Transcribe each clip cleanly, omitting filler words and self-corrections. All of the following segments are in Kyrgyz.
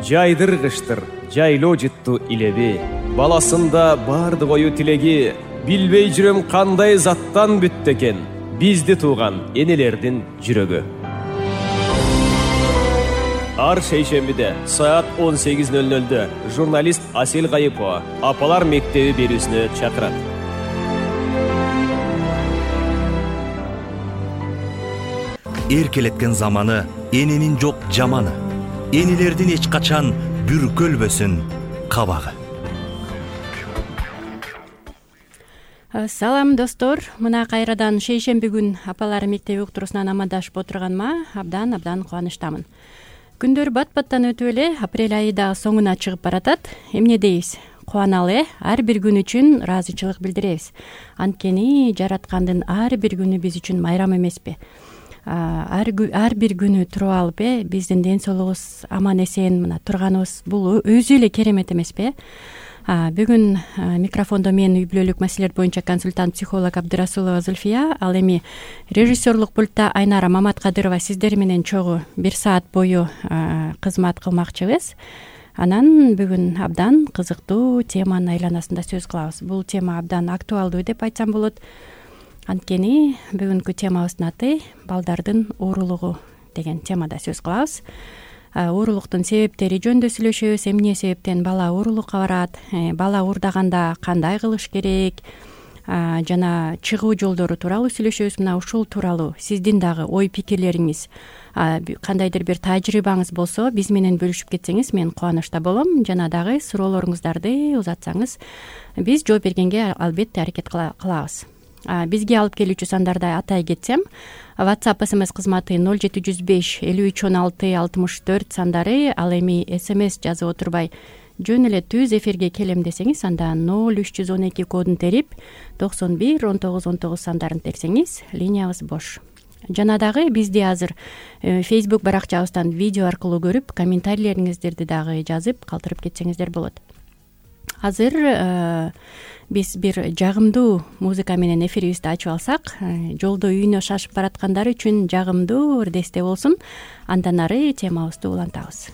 Жайдыргыштыр, жайлоо жытту илеби. Баласында барды кою тилеги. Билбей жүрөм кандай заттан бүттү экен бизди тууган энелердин жүрөгү. Ар шейшембиде саат 18:00 журналист Асел Кайыпова Апалар мектеби берүүсүнө чакырат. Эркелеткен заманы, эненин жок жаманы. Энелердин эч качан бүркөлбөсүн кабагы. Салам достор, мына кайрадан шейшемби күн Апалар мектеби уктуруусунан амандашып отурганыма абдан кубанычтамын. Күндөр бат-баттан өтүп эле апрель айы да соңуна чыгып баратат. Эмне дейбиз? Кубаналы, ар бир күн үчүн ыраазычылык билдиребиз. Анткени жараткандын ар бир күнү биз үчүн майрам эмеспи? Ар бир күнү туруп алып биздин ден соолугубуз аман эсен мына турганыбыз бул өзү эле керемет эмеспи? Бүгүн микрофондо мен үй бүлөлүк маселелер боюнча консультант психолог Абдырасулова Зульфия, ал эми режиссерлук пультта Айнара Маматкадырова сиздер менен чогуу 1 саат бою кызмат кылмакчыбыз. Анан бүгүн абдан кызыктуу теманын айланасында сөз кылабыз. Бул тема абдан актуалдуу деп айтсам болот. Анткени бүгүнкү темабыздын аты балдардын уурулугу деген темада сөз кылабыз. Уурулуктун себептери жөнүндө сүйлөшөбүз. Эмне себептен бала уурулукка барат, бала уурдаганда кандай кылыш керек, жана чыгуу жолдору тууралуу сүйлөшөбүз. Мына ушул тууралуу сиздин дагы ой пикирлериңиз, кандайдыр бир тажрыйбаңыз болсо биз менен бөлүшүп кетсеңиз мен кубанычта болом. Жана дагы суроолоруңуздарды узатсаңыз биз жооп бергенге албетте аракет кылабыз. Бизге алып келүүчү сандарды атай кетсем, WhatsApp SMS кызматы 0705 53 16 64 сандары, ал эми SMS жазып отурбай жөн эле түз эфирге келем десеңиз, анда 0312 кодун терип 91 19 19 сандарын терсеңиз, линиябыз бош. Жана дагы бизди азыр Facebook баракчабыздан видео аркылуу көрүп, комментарийлериңиздерди дагы жазып калтырып кетсеңиздер болот. Азыр биз бир жагымдуу музыка менен эфирибизди ачып алсак, жолдо үйүнө шашып бараткандар үчүн жагымдуу ырдесте болсун. Андан ары темабызды улантабыз.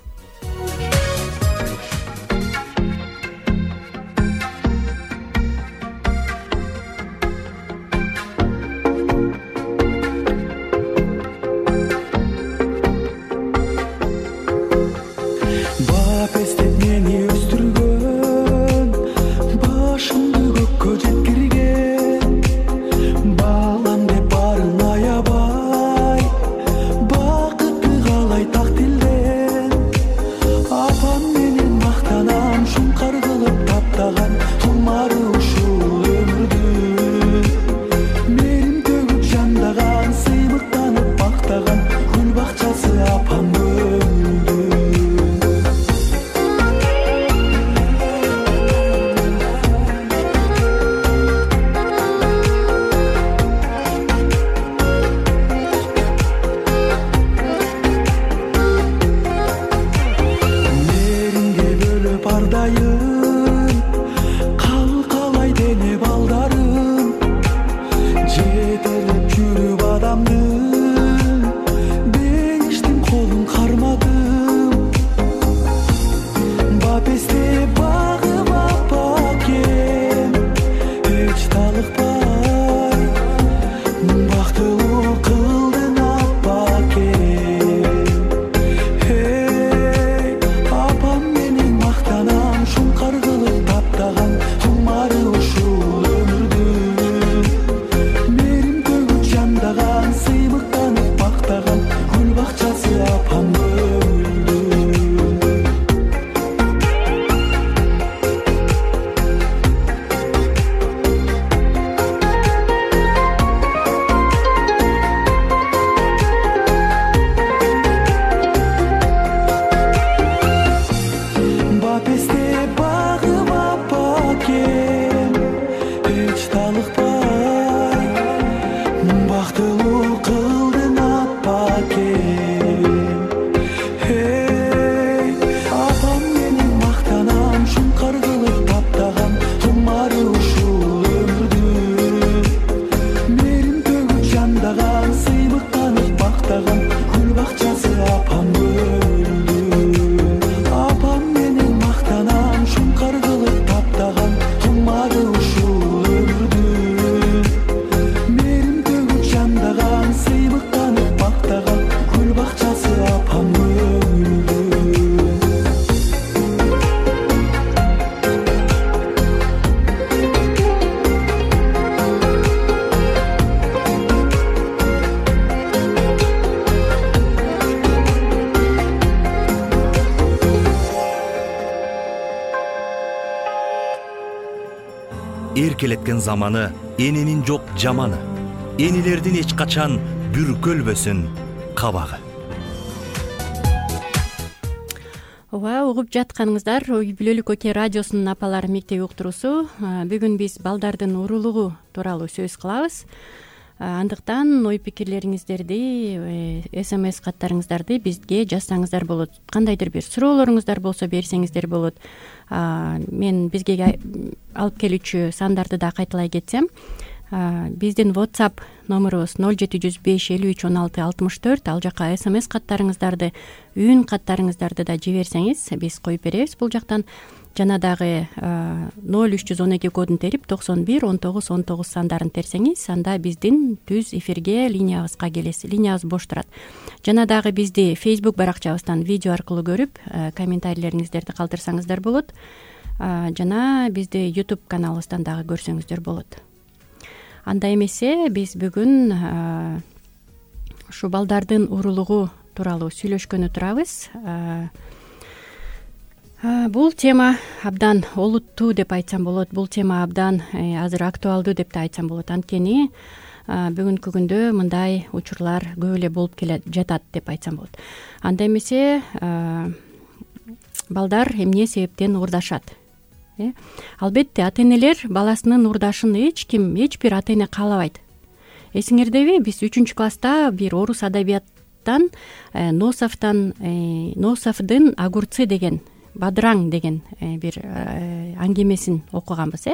эркелеткен заманы, эненин жок жаманы, энелердин эч качан бүркөлбөсүн кабагы. Ооба, угуп жатканыңыздар Ой Бүлөлүк Оке радиосунун апалары мектеби уктуруусу. Бүгүн биз балдардын уурулугу тууралуу сөз кылабыз. Андыктан ой пикирлериңиздерди, СМС каттарыңыздарды бизге жазсаңыздар болот. Кандайдыр бир суроолоруңуздар болсо берсеңиздер болот. Мен бизге алып келүүчү сандарды да кайталай кетсем, биздин WhatsApp номерубуз 0705 53 16 64. Ал жака СМС каттарыңыздарды, үн каттарыңыздарды да жиберсеңиз биз коюп беребиз бул жактан. Жана дагы 0312 кодун терип 91 19 19 сандарын терсеңиз, анда биздин түз эфирге линиябызга келесиз. Линиябыз бош турат. Жана дагы бизди Facebook баракчабыздан видео аркылуу көрүп, комментарийлериңиздерди калтырсаңыздар болот. Жана бизди YouTube каналыбыздан дагы көрсөңүздөр болот. Анда эмесе биз бүгүн ушу балдардын уурулугу тууралуу сүйлөшкөнү турабыз. Бул тема абдан олуттуу деп айтсам болот. Бул тема абдан азыр актуалдуу деп да айтсам болот. Анткени бүгүнкү күндө мындай учурлар көп эле болуп келе жатат деп айтсам болот. Анда эмесе балдар эмне себептен уурдашат? Албетте ата-энелер баласынын уурдашын эч бир ата-эне каалабайт. Эсиңердеби, биз 3-класста бир орус адабияттан Носовдун огурцы деген, бадыраң деген бир аңгемесин окуганбыз.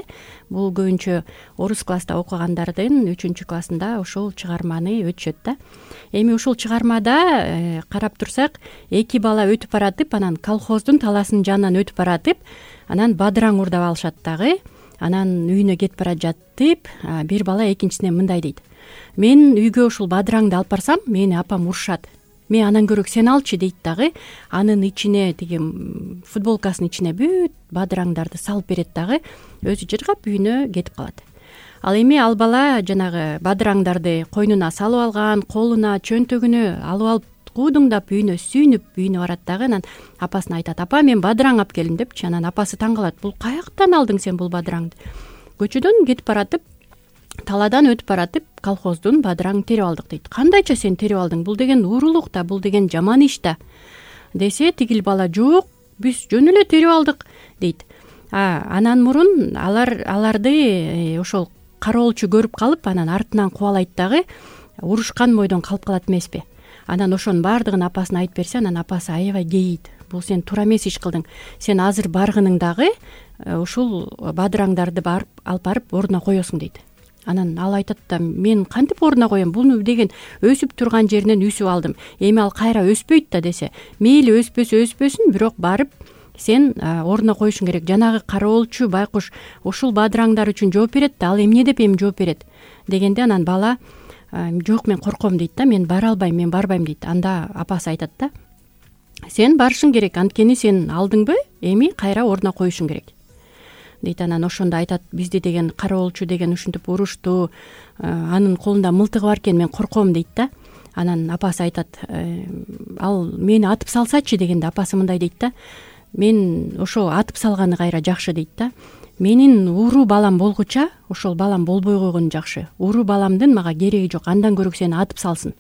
Бул көбүнчө орус класста окугандардын 3-классында ошол чыгарманы өтүшөт да. Эми ушул чыгармада карап турсак, эки бала өтүп баратып, анан колхоздун таласынын жанынан өтүп баратып, анан бадыраң уурдап алышат дагы. Анан үйүнө кетип бара жатып, бир бала экинчисине мындай дейт: мен үйгө ушул бадыраңды алып барсам, мени апам урушат. Мен анан көрөк сен алчы дейт дагы. Анын ичине, тиги футболкасынын ичине бүт бадыраңдарды салып берет дагы. Өзү жыргап үйүнө кетип калат. Ал эми ал бала жанагы бадыраңдарды койнуна салып алган, колуна, чөнтөгүнө алып алып куудуңдап үйүнө сүйүнүп үйүнө барат дагы. Анан апасына айтат: апа, мен бадыраң алып келдим депчи. Анан апасы таң калат: бул каяктан алдың сен бул бадыраңды? Көчөдөн кетип баратып, таладан өтүп баратып, колхоздун бадыраңын терип алдык дейт. Кандайча сен терип алдың? Бул деген уурулук да, бул деген жаман иш да. Десе, тигил бала: жок, биз жөн эле терип алдык дейт. Анан мурун аларды ошол кароолчу көрүп калып, анан артынан кубалайт дагы. Урушкан бойдон калып калат эмеспи? Анан ошонун баардыгын апасына айтып берсе, анан апасы аябай кейийт. Бул сен туура эмес иш кылдың. Сен азыр баргының дагы ушул бадыраңдарды алып барып ордуна коесуң дейт. Анан ал айтат да: мен кантип ордуна коем? Буну деген өсүп турган жеринен үсүп алдым. Эми ал кайра өспөйт да десе. Мейли өспөсүн, бирок барып сен ордуна коюшуң керек. Жанагы кароолчу байкуш ушул бадыраңдар үчүн жооп берет да, ал эмне деп эми жооп берет дегенде, анан бала: жок, мен корком дейт да, мен бара албайм, мен барбайм дейт. Анда апасы айтат да: сен барышың керек, анткени сен алдыңбы, эми кайра ордуна коюшуң керек дейт. Анан ошондо айтат: бизди деген кароолчу деген ушинтип урушту, анын колунда мылтыгы бар экен, мен корком дейт да. Анан апасы айтат: ал мени атып салсачы дегенде, апасы мындай дейт да: мен ошо атып салганы кайра жакшы дейт да. Менин ууруу балам болгуча ошол балам болбой койгону жакшы. Ууруу баламдын мага кереги жок, андан көрөк сени атып салсын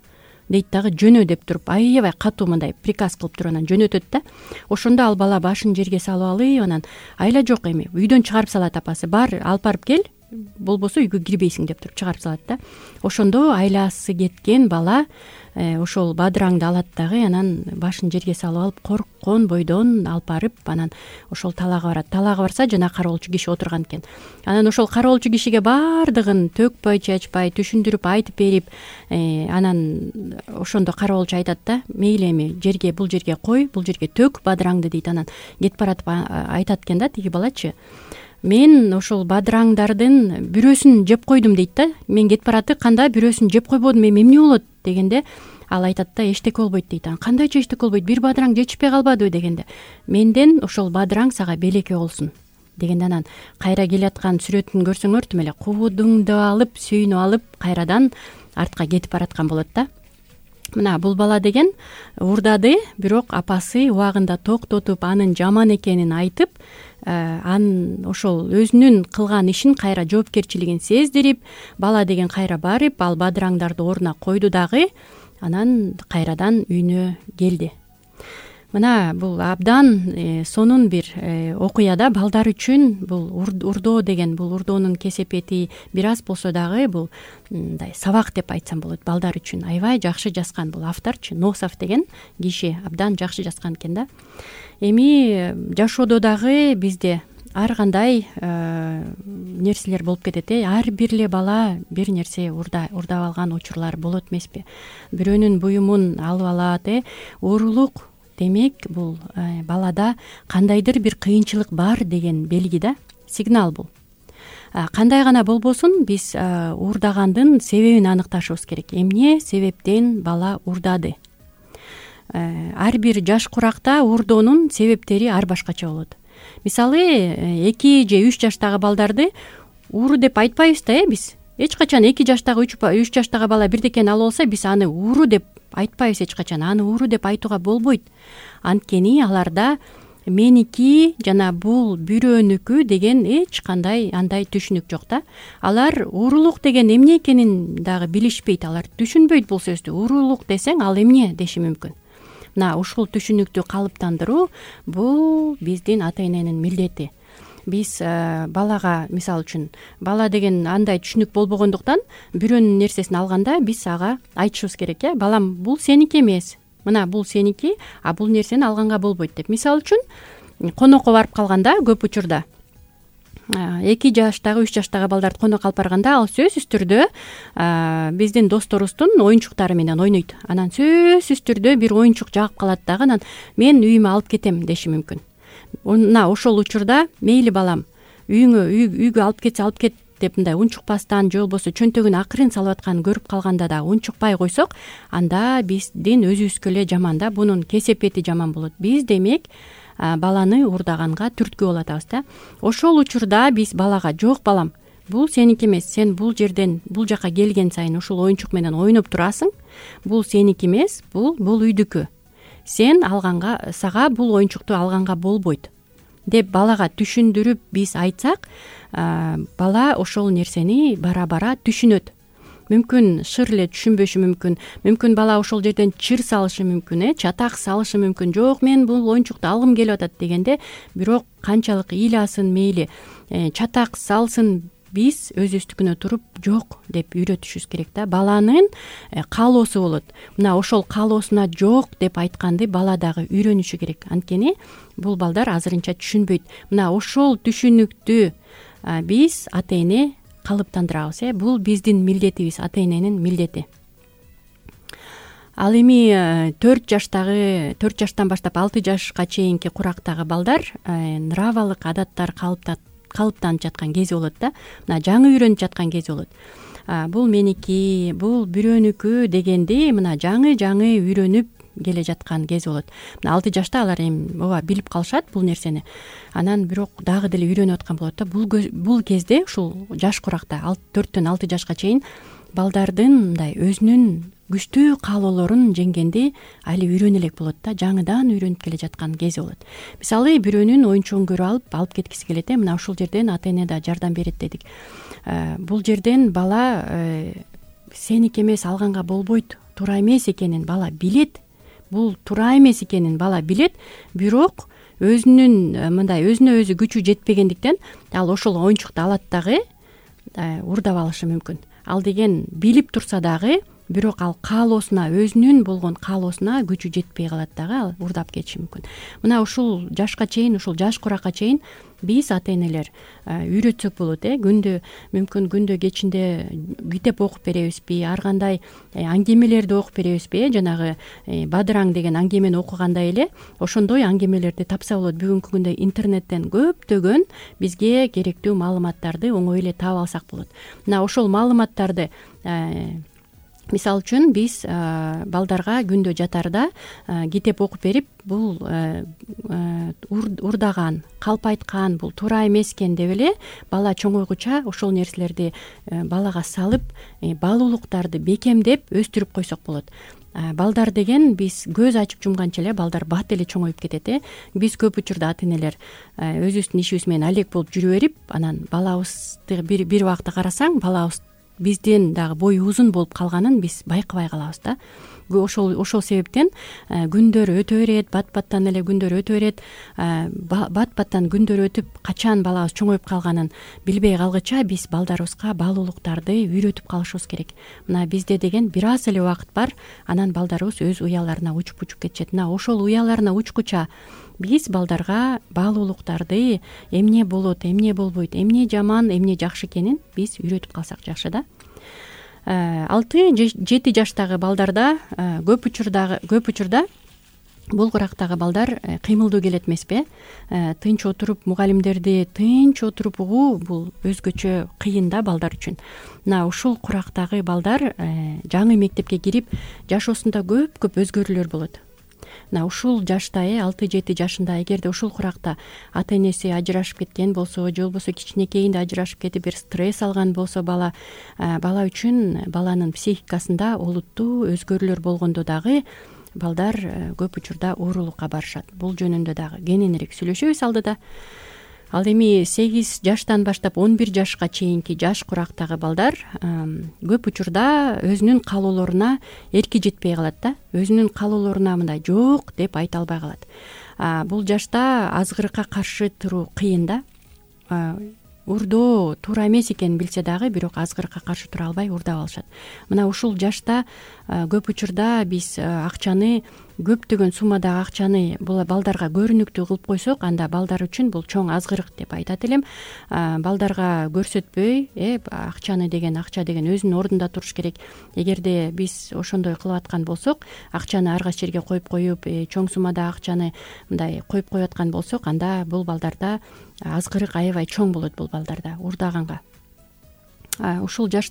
дейт дагы. Жөнө деп туруп, аябай катуу мындай приказ кылып туруп анан жөнөтөт да. Ошондо ал бала башын жерге салып алып, анан: айла жок, эми үйдөн чыгарып салат апасы. Бар, алып барып кел, болбосо үйгө кирбейсиң деп туруп чыгарып салат да. Ошондо айласы кеткен бала ошол бадыраңды алат дагы, анан башын жерге салып алып, корккон бойдон алып барып, анан ошол талаага барат. Талаага барса, жана кароолчу киши отурган экен. Анан ошол кароолчу кишиге баардыгын төкпөй чачпай түшүндүрүп айтып берип, анан ошондо кароолчу айтат да: мейли, эми бул жерге кой, бул жерге төк бадыраңды дейт. Анан кетип баратып айтат экен да тиги балачы: мен ошол бадыраңдардын бирөөсүн жеп койдум дейт да. Мен кетип баратып, канда бирөөсүн жеп койбодум, эми эмне болот дегенде, ал айтат да: эчтеке болбойт дейт. Кандайча эчтеке болбойт, бир бадыраң жетишпей калбадыбы дегенде, менден ошол бадыраң сага белекке болсун дегенде, анан кайра келаткан сүрөтүн көрсөңөр тим эле куудуңду алып, сүйүнүп алып, кайрадан артка кетип бараткан болот да. Мына бул бала деген уурдады, бирок апасы убагында токтотуп, анын жаман экенин айтып, ошол өзүнүн кылган ишин кайра жоопкерчилигин сездирип, бала деген кайра барып ал бадыраңдарды ордуна койду дагы анан кайрадан үйүнө келди. Мына бул абдан сонун бир окуя да. Балдар үчүн бул урдоо деген, бул урдоонун кесепети бир аз болсо дагы бул мындай сабак деп айтсам болот. Балдар үчүн аябай жакшы жазган бул авторчу, Носов деген киши абдан жакшы жазган экен да. Эми жашоодо дагы бизде ар кандай нерселер болуп кетет. Ар бир эле бала бир нерсе урдап алган учурлар болот эмеспи? Бирөөнүн буюмун алып алат, оорулук. Демек, бул балада кандайдыр бир кыйынчылык бар деген белги да, сигнал бул. Кандай гана болбосун, биз уурдагандын себебин аныкташыбыз керек. Эмне себептен бала уурдады? Ар бир жаш куракта уурдоонун себептери ар башкача болот. Мисалы, 2 же 3 жаштагы балдарды ууру деп айтпайбыз да, биз. Эч качан 2 жаштагы 3 жаштагы бала бирдекени алып алса, биз аны ууру деп айтпайбыз эч качан. Аны ууру деп айтууга болбойт. Анткени аларда меники жана бул бирөөнүкү деген эч кандай андай түшүнүк жок да. Алар уурулук деген эмне экенин дагы билишпейт. Алар түшүнбөйт бул сөздү. Уурулук десең, ал эмне деши мүмкүн. Мына ушул түшүнүктү калыптандыруу бул биздин ата-эненин милдети. Биз балага, мисалы үчүн, бала деген андай түшүнүк болбогондуктан бирөөнүн нерсесин алганда биз ага айтышыбыз керек, балам, бул сеники эмес. Мына бул сеники, а бул нерсени алганга болбойт деп. Мисалы үчүн, конокко барып калганда көп учурда 2 жаштагы 3 жаштагы балдарды конокко алып барганда ал сөзсүз түрдө биздин досторубуздун оюнчуктары менен ойнойт. Анан сөзсүз түрдө бир оюнчук жагып калат дагы, анан мен үйүмө алып кетем деши мүмкүн. Мына ошол учурда мейли балам, үйгө алып кет деп мындай унчукпастан же болбосо чөнтөгүнө акырын салып атканын көрүп калганда да унчукпай койсок, анда биздин өзүбүзгө эле жаман да, бунун кесепети жаман болот. Биз демек баланы уурдаганга түрткү болуп атабыз да. Ошол учурда биз балага, жок балам, бул сеники эмес, сен бул жерден бул жака келген сайын ушул оюнчук менен ойноп турасың, бул сеники эмес, бул үйдүкү. Сен алганга, сага бул оюнчукту алганга болбойт деп балага түшүндүрүп биз айтсак, бала ошол нерсени бара түшүнөт. Мүмкүн шыр эле түшүнбөшү мүмкүн. Мүмкүн бала ошол жерден чыр салышы мүмкүн, чатак салышы мүмкүн. Жок, мен бул оюнчукту алгым келип атат дегенде, бирок канчалык ыйласын, мейли чатак салсын, биз өзүбүздүкүнө туруп жок деп үйрөтүшүбүз керек да. Баланын каалоосу болот. Мына ошол каалоосуна жок деп айтканды бала дагы үйрөнүшү керек. Анткени бул балдар азырынча түшүнбөйт. Мына ошол түшүнүктү биз ата-эне калыптандырабыз. Бул биздин милдетибиз, ата-эненин милдети. Ал эми 4 жаштан баштап 6 жашка чейинки курактагы балдар нравалык адаттар калыптанып жаткан кези болот да. Мына жаңы үйрөнүп жаткан кези болот. Бул меники, бул бирөөнүкү дегенди мына жаңы үйрөнүп келе жаткан кези болот. Мына 6 жашта алар эми ооба билип калышат бул нерсени. Анан бирок дагы деле үйрөнүп аткан болот да. Бул кезде ушул жаш куракта 4төн 6 жашка чейин балдардын мындай өзүнүн күчтүү каалоолорун жеңгенди али үйрөнө элек болот да. Жаңыдан үйрөнүп келе жаткан кези болот. Мисалы, бирөөнүн оюнчугун көрүп алып кеткиси келет. Мына ушул жерден ата-эне да жардам берет дедик. Бул жерден бала сеники эмес, алганга болбойт, туура эмес экенин бала билет. Бул туура эмес экенин бала билет, бирок өзүнө өзү күчү жетпегендиктен ал ошол оюнчукту алат дагы уурдап алышы мүмкүн. Ал деген билип турса дагы, бирок ал каалоосуна, өзүнүн болгон каалоосуна күчү жетпей калат дагы, ал уурдап кетиши мүмкүн. Мына ушул жашка чейин, ушул жаш куракка чейин биз ата-энелер үйрөтсөк болот. Күндө кечинде китеп окуп беребизби, ар кандай аңгемелерди окуп беребизби, жанагы Бадыраң деген аңгемени окугандай эле ошондой аңгемелерди тапса болот. Бүгүнкү күндө интернеттен көптөгөн бизге керектүү маалыматтарды оңой эле таап алсак болот. Мына ошол маалыматтарды мисалы үчүн биз балдарга күндө жатарда китеп окуп берип, бул уурдаган, калп айткан, бул туура эмес экен деп эле бала чоңойгуча ошол нерселерди балага салып, баалуулуктарды бекемдеп өстүрүп койсок болот. балдар деген биз көз ачып жумганча эле балдар бат эле чоңоюп кетет. Биз көп учурда ата энелер өзүбүздүн ишибиз менен алек болуп жүрө берип, анан балабызды бир убакта карасаң, балабыз бизден дагы бою узун болуп калганын биз байкабай калабыз да. Ошол себептен күндөр өтө берет, бат баттан эле күндөр өтө берет. Бат баттан күндөр өтүп качан балабыз чоңоюп калганын билбей калгыча биз балдарыбызга баалуулуктарды үйрөтүп калышыбыз керек. Мына бизде деген бир аз эле убакыт бар, анан балдарыбыз өз уяларына учуп кетишет. Мына ошол уяларына учкуча биз балдарга баалуулуктарды, эмне болот, эмне болбойт, эмне жаман, эмне жакшы экенин биз үйрөтүп калсак жакшы да. 6-7 жаштагы балдарда көп учурда бул курактагы балдар кыймылдуу келет эмеспи? Тынч отуруп, мугалимдерди тынч отуруп угуу бул өзгөчө кыйын да балдар үчүн. Мына ушул курактагы балдар жаңы мектепке кирип, жашоосунда көп өзгөрүүлөр болот. Мына ушул жашта 6-7 жашында эгерде ушул куракта ата энеси ажырашып кеткен болсо, же болбосо кичинекейинде ажырашып кетип бир стресс алган болсо бала үчүн баланын психикасында олуттуу өзгөрүүлөр болгондо дагы балдар көп учурда оорулукка барышат. Бул жөнүндө дагы кененирээк сүйлөшөбүз алдыда. Ал эми 8 жаштан баштап 11 жашка чейинки жаш курактагы балдар көп учурда өзүнүн каалоолоруна эрки жетпей калат да. Өзүнүн каалоолоруна мындай жок деп айта албай калат. Бул жашта азгырыкка каршы туруу кыйын да. Урдоо туура эмес экенин билсе дагы, бирок азгырыкка каршы тура албай урдап алышат. Мына ушул жашта көп учурда биз акчаны, көптөгөн суммадагы акчаны бул балдарга көрүнүктүү кылып койсок, анда балдар үчүн бул чоң азгырык деп айтат элем. Балдарга көрсөтпөй, акча деген өзүнүн ордунда туруш керек. Эгерде биз ошондой кылып аткан болсок, акчаны ар кайсы жерге коюп, чоң суммадагы акчаны мындай коюп аткан болсок, анда бул балдарда азгырык аябай чоң болот, бул балдарда урдаганга. Ушул жаш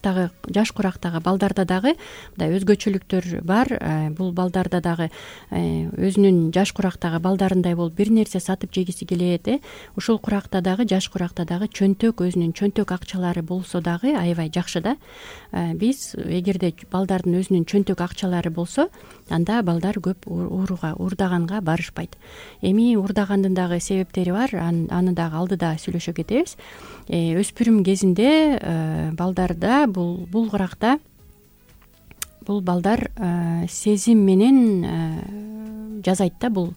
курактагы балдарда дагы мындай өзгөчөлүктөр бар. Бул балдарда дагы өзүнүн жаш курактагы балдарындай болуп бир нерсе сатып жегиси келет. Ушул куракта дагы, жаш куракта дагы өзүнүн чөнтөк акчалары болсо дагы аябай жакшы да. Биз эгерде балдардын өзүнүн чөнтөк акчалары болсо, анда балдар көп урдаганга барышпайт. Эми урдагандын дагы себептери бар, аны дагы алдыда сүйлөшө кетебиз. Өспүрүм кезинде балдарда бул куракта бул балдар сезим менен жазайт да бул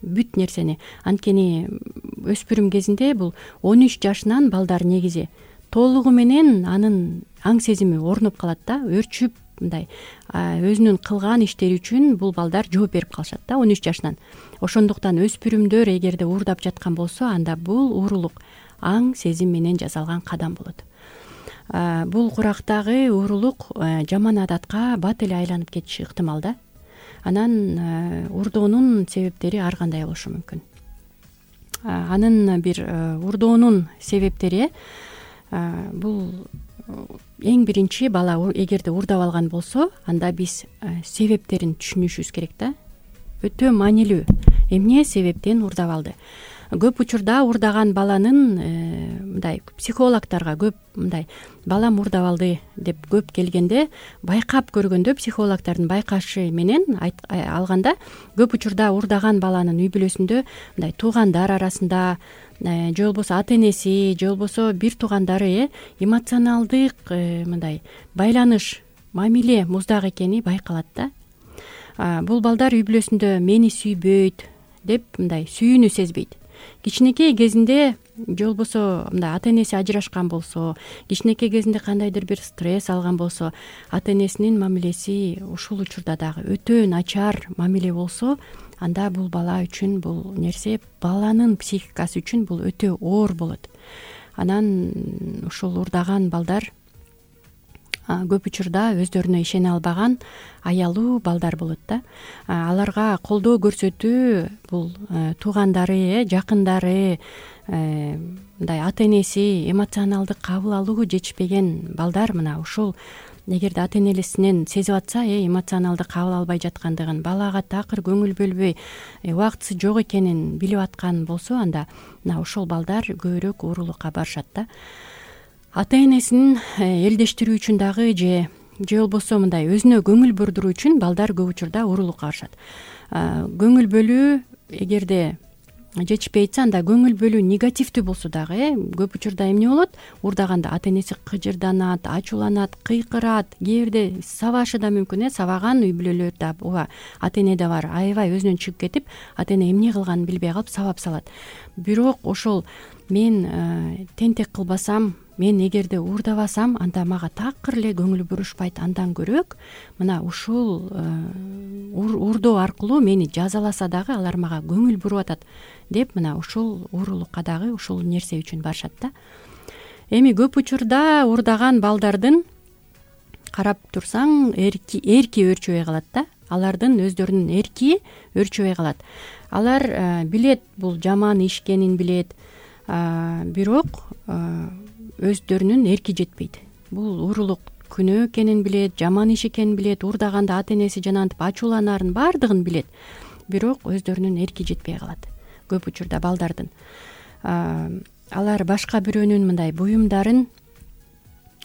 бүт нерсени. Анткени өспүрүм кезинде бул 13 жашынан балдар негизи толугу менен анын аң сезими орнуп калат да, өрчүп мындай өзүнүн кылган иштери үчүн бул балдар жооп берип калышат да 13 жашынан. Ошондуктан өспүрүмдөр эгерде уурдап жаткан болсо, анда бул уурулук аң сезим менен жасалган кадам болот. Бул курактагы уурулук жаман адатка бат эле айланып кетиши ыктымал да. Анан урдоонун себептери ар кандай болушу мүмкүн. Анын бир урдоонун себептери бул эң биринчи, бала эгерде уурдап алган болсо, анда биз себептерин түшүнүшүбүз керек да. Өтө маанилүү. Эмне себептен уурдап алды? Көп учурда уурдаган баланын мындай психологторго көп мындай балам уурдап алды деп көп келгенде, байкап көргөндө, психологтордун байкашы менен алганда, көп учурда уурдаган баланын үй бүлөсүндө мындай туугандар арасында, же болбосо ата энеси, же болбосо бир туугандары эмоционалдык мындай байланыш, мамиле муздак экени байкалат да. Бул балдар үй бүлөсүндө мени сүйбөйт деп мындай сүйүүнү сезбейт. Кичинекей кезинде, же болбосо мындай ата энеси ажырашкан болсо, кичинекей кезинде кандайдыр бир стресс алган болсо, ата энесинин мамилеси ушул учурда дагы өтө начар мамиле болсо, анда бул бала үчүн бул нерсе, баланын психикасы үчүн бул өтө оор болот. Анан ушул уурдаган балдар көп учурда өздөрүнө ишене албаган аялуу балдар болот да. Аларга колдоо көрсөтүү бул туугандары, жакындары, мындай ата энеси эмоционалдык кабыл алуу жетишпеген балдар, мына ушул эгерде ата энесинен сезип атса, эмоционалдык кабыл албай жаткандыгын, балага такыр көңүл бөлбөй, убактысы жок экенин билип аткан болсо, анда мына ушул балдар көбүрөөк уурулукка барышат да. Ата энесин элдештирүү үчүн дагы, же же болбосо мындай өзүнө көңүл бурдуруу үчүн балдар көп учурда уурулукка барышат. Көңүл бөлүү эгерде жетишпей атса, анда көңүл бөлүү негативдүү болсо дагы көп учурда эмне болот? Уурдаганда ата энеси кыжырданат, ачууланат, кыйкырат, кээ бирде сабашы да мүмкүн. Сабаган үй бүлөлөр да ооба ата энеде бар. Аябай өзүнөн чыгып кетип, ата эне эмне кылганын билбей калып сабап салат. Бирок ошол мен тентек кылбасам, мен эгерде уурдабасам, анда мага такыр эле көңүл бурушпайт. Андан көрөөк мына ушул уурдоо аркылуу мени жазаласа дагы алар мага көңүл буруп атат деп мына ушул уурулукка дагы ушул нерсе үчүн барышат да. Эми көп учурда уурдаган балдардын карап турсаң эрки өөрчөбөй калат да. Алардын өздөрүнүн эрки өөрчөбөй калат. Алар билет бул жаман иш экенин билет, бирок өздөрүнүн эрки жетпейт. Бул уурулук күнөө экенин билет, жаман иш экенин билет, уурдаганда ата энеси жанагынтип ачууланарын баардыгын билет. Бирок өздөрүнүн эрки жетпей калат көп учурда балдардын. Алар башка бирөөнүн мындай буюмдарын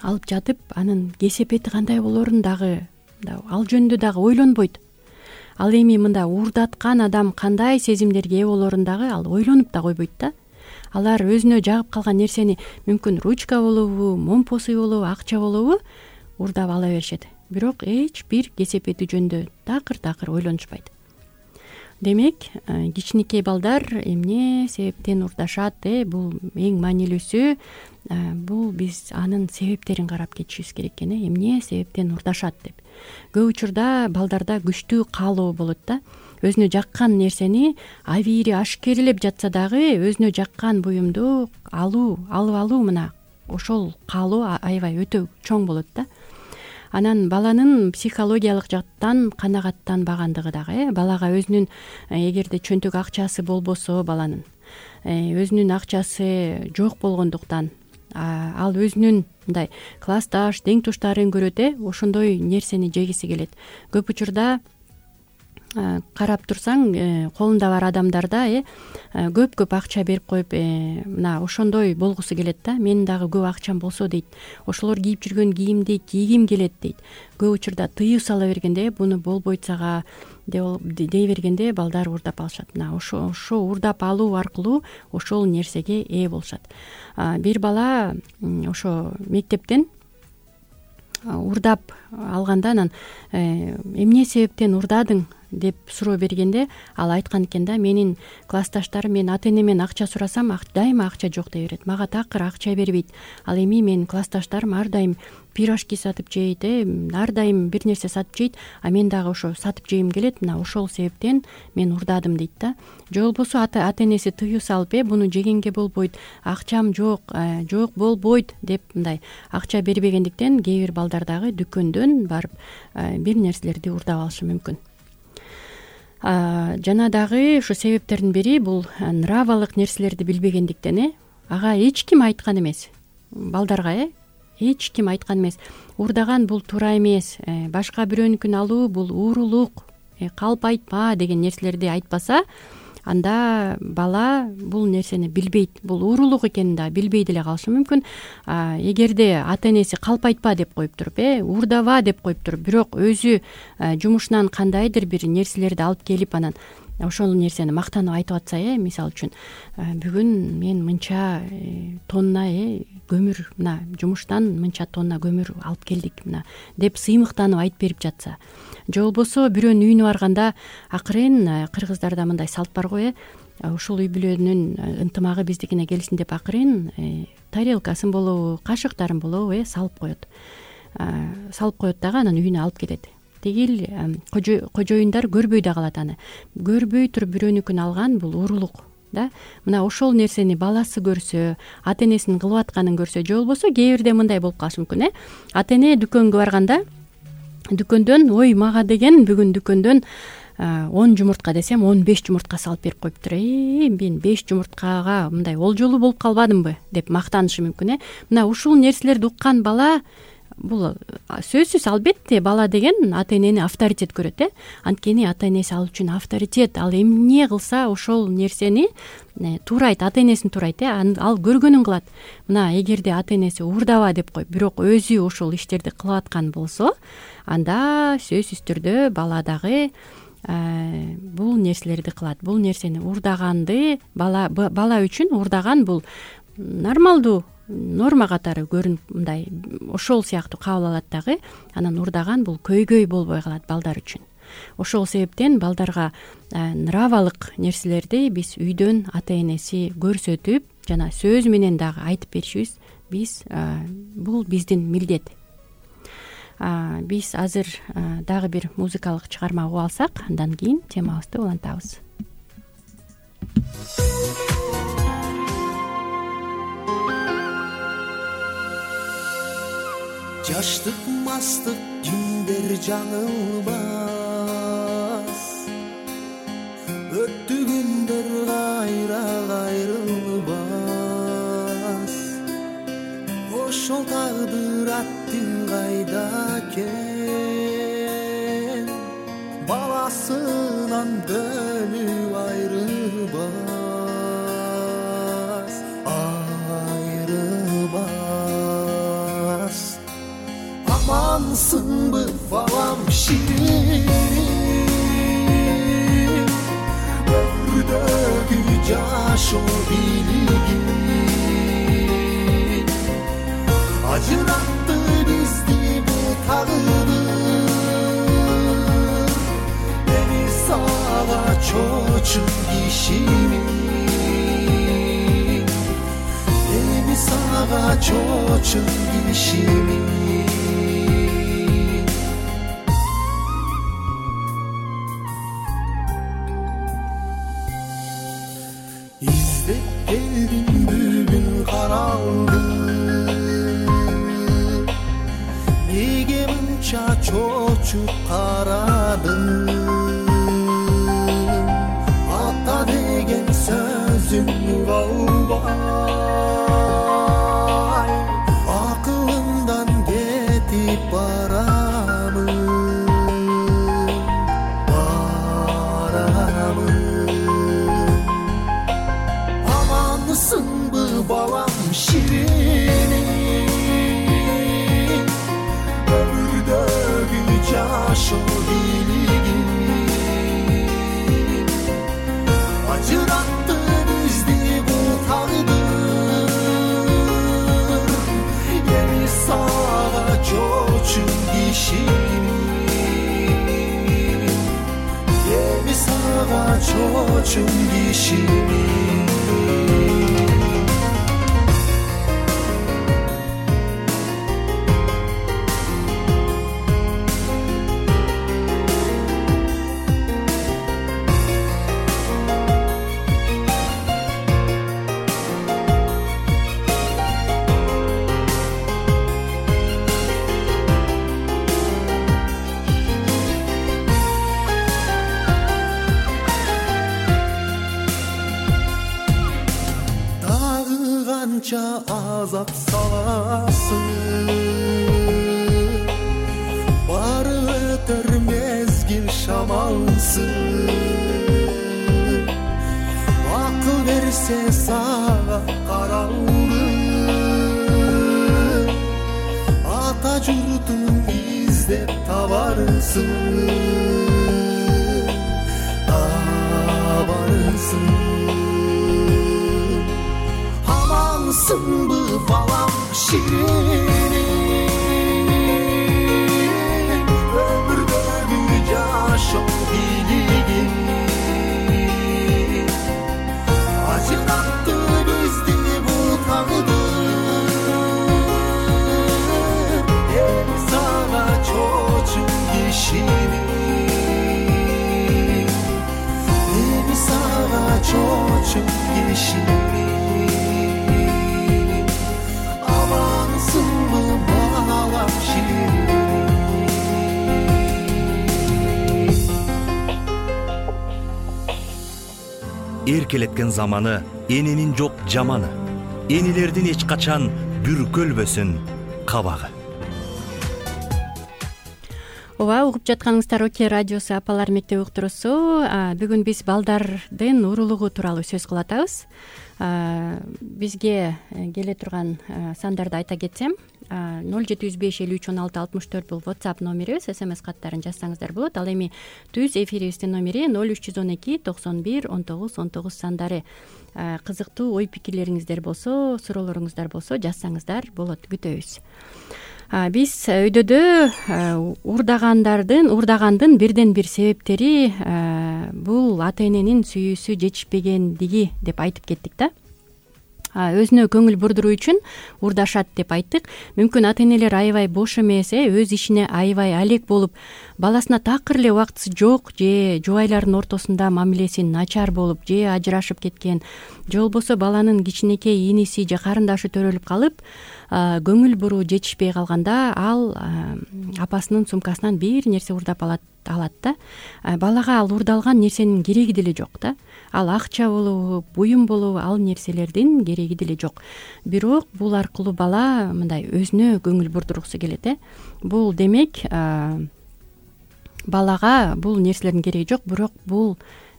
алып жатып, анын кесепети кандай болоорун дагы ал жөнүндө дагы ойлонбойт. Ал эми мында уурдаткан адам кандай сезимдерге ээ болоорун дагы ал ойлонуп да койбойт да. Алар өзүнө жагып калган нерсени мүмкүн ручка болобу, момпосуй болобу, акча болобу уурдап ала беришет. Бирок эч бир кесепети жөнүндө такыр ойлонушпайт. Демек, кичинекей балдар эмне себептен уурдашат? Бул эң маанилүүсү. Бул биз анын себептерин карап кетишибиз керек экен. Эмне себептен уурдашат деп. Көп учурда балдарда күчтүү каалоо болот да. Өзүнө жаккан нерсени абийири ашкерелеп жатса дагы өзүнө жаккан буюмду алып алуу мына ошол каалоо аябай өтө чоң болот да. Анан баланын психологиялык жактан канагаттанбагандыгы дагы. Балага өзүнүн эгерде чөнтөк акчасы болбосо, баланын өзүнүн акчасы жок болгондуктан ал өзүнүн мындай классташ, тең туштарын көрөт, ошондой нерсени жегиси келет. Көп учурда карап турсаң, колунда бар адамдарда көп акча берип коюп, мына ошондой болгусу келет да. Менин дагы көп акчам болсо дейт. Ошолор кийип жүргөн кийимди кийгим келет дейт. Көп учурда тыюу сала бергенде, буну болбойт сага дей бергенде балдар уурдап алышат. Мына ошо уурдап алуу аркылуу ошол нерсеге ээ болушат. Бир бала ошо мектептен уурдап алганда анан эмне себептен уурдадың деп суроо бергенде ал айткан экен да, менин классташтарым мен ата энемен акча сурасам дайыма акча жок дей берет, мага такыр акча бербейт. Ал эми менин классташтарым ар дайым пирожки сатып жейт, ар дайым бир нерсе сатып жейт, а мен дагы ошо сатып жейм келет, мына ошол себептен мен уурдадым дейт да. Же болбосо ата энеси тыюу салып, буну жегенге болбойт, акчам жок болбойт деп мындай акча бербегендиктен кээ бир балдар дагы дүкөндөн барып бир нерселерди уурдап алышы мүмкүн. Жана дагы ушу себептердин бири бул нравалык нерселерди билбегендиктен. Ага эч ким айткан эмес. Балдарга эч ким айткан эмес. Уурдаган бул туура эмес. Башка бирөөнүкүн алуу бул уурулук. Калп айтпа деген нерселерди айтпаса, анда бала бул нерсени билбейт. Бул уурулук экенин да билбей деле калышы мүмкүн. Эгерде ата энеси калп айтпа деп коюп туруп, уурдаба деп коюп туруп, бирок өзү жумушунан кандайдыр бир нерселерди алып келип анан ошол нерсени мактанып айтып атса, мисалы үчүн бүгүн мен мынча тонна көмүр, мына жумуштан мынча тонна көмүр алып келдик мына деп сыймыктанып айтып берип жатса, же болбосо бирөөнүн үйүнө барганда акырын, кыргыздарда мындай салт бар го, ушул үй бүлөнүн ынтымагы биздикине келсин деп акырын тарелкасын болобу, кашыктарын болобу салып коет дагы анан үйүнө алып кетет. Тигил кожоюндар көрбөй да калат аны. Көрбөй туруп бирөөнүкүн алган бул уурулук да. Мына ошол нерсени баласы көрсө, ата энесинин кылып атканын көрсө, же болбосо кээ бирде мындай болуп калышы мүмкүн. Ата эне дүкөнгө барганда дүкөндөн мага деген бүгүн дүкөндөн 10 жумуртка десем 15 жумуртка салып берип коюптур. Мен 5 жумурткага мындай олжолуу болуп калбадымбы деп мактанышы мүмкүн. Мына ушул нерселерди уккан бала бул сөзсүз албетте бала деген ата энени авторитет көрөт. Анткени ата энеси ал үчүн авторитет. Ал эмне кылса ошол нерсени туурайт, ата энесин туурайт. Ал көргөнүн кылат. Мына эгерде ата энеси уурдаба деп коюп, бирок өзү ошол иштерди кылып аткан болсо, анда сөзсүз түрдө бала дагы бул нерселерди кылат. Бул нерсени уурдаганды бала үчүн уурдаган бул нормалдуу норма катары көрүнүп, мындай ошол сыяктуу кабыл алат дагы. Анан уурдаган бул көйгөй болбой калат балдар үчүн. Ошол себептен балдарга нравалык нерселерди биз үйдөн ата энеси көрсөтүп, жана сөз менен дагы айтып беришибиз бул биздин милдет. Биз азыр дагы бир музыкалык чыгарма угуп алсак, андан кийин темабызды улантабыз. Жаштык мастык күндөр жаңылбас, өттү күндөр кайра кайрылбас. Ошол тагдыр атты кайда экен, баласынан бөлүп айрылбас. Амансыңбы балам ширин, өмүрдөгү жашоо бийлигин, ажыратты бизди бул тагдыр. Эми сага чочун кишимин, эми сага чочун кишимин. Чочуп карадым, ата деген сөзүн калбай, акылымдан кетип барамын. Амансыңбы балам ширин, жашоо бийлигин, ажыратты бизди бул тагдыр. Эми сага чочун кишимин, эми сага чочун кишимин. Азап саласың, бары өтөр мезгил шамалсың. Акыл берсе сага каралды, ата журтун издеп табарсың. Амансыңбы балам ширин, өмүрдөгү жашоо бийлигин, ажыратты бизди бул тагдыр. Эми сага чочун кишимин, эми сага чочун кишимин. Эркелеткен заманы эненин жок жаманы, энелердин эч качан бүркөлбөсүн кабагы. Ооба, угуп жатканыңыздар Оке радиосу апалар мектеп уктуруусу. Бүгүн биз балдардын урулугу тууралуу сөз кылып атабыз. Бизге келе турган сандарды айта кетсем, 0755531664 бул WhatsApp номерибиз, SMS каттарын жазсаңыздар болот. Ал эми түз эфирибиздин номери 0312 91 19 19 сандары. Кызыктуу ой пикирлериңиздер болсо, суроолоруңуздар болсо жазсаңыздар болот, күтөбүз. Биз өйдөдө уурдагандын бирден бир себептери бул ата эненин сүйүүсү жетишпегендиги деп айтып кеттик да. Өзүнө көңүл бурдуруу үчүн уурдашат деп айттык. Мүмкүн ата энелер аябай бош эмес, өз ишине аябай алек болуп, баласына такыр эле убактысы жок, же жубайлардын ортосунда мамилеси начар болуп, же ажырашып кеткен, же болбосо баланын кичинекей иниси же карындашы төрөлүп калып, көңүл буруу жетишпей калганда ал апасынын сумкасынан бир нерсе уурдап алат да. Балага ал уурдалган нерсенин кереги деле жок да. Ал акча болобу, буюм болобу, ал нерселердин кереги деле жок. Бирок бул аркылуу бала мындай өзүнө көңүл бурдургусу келет. Бул демек балага бул нерселердин кереги жок, бирок бул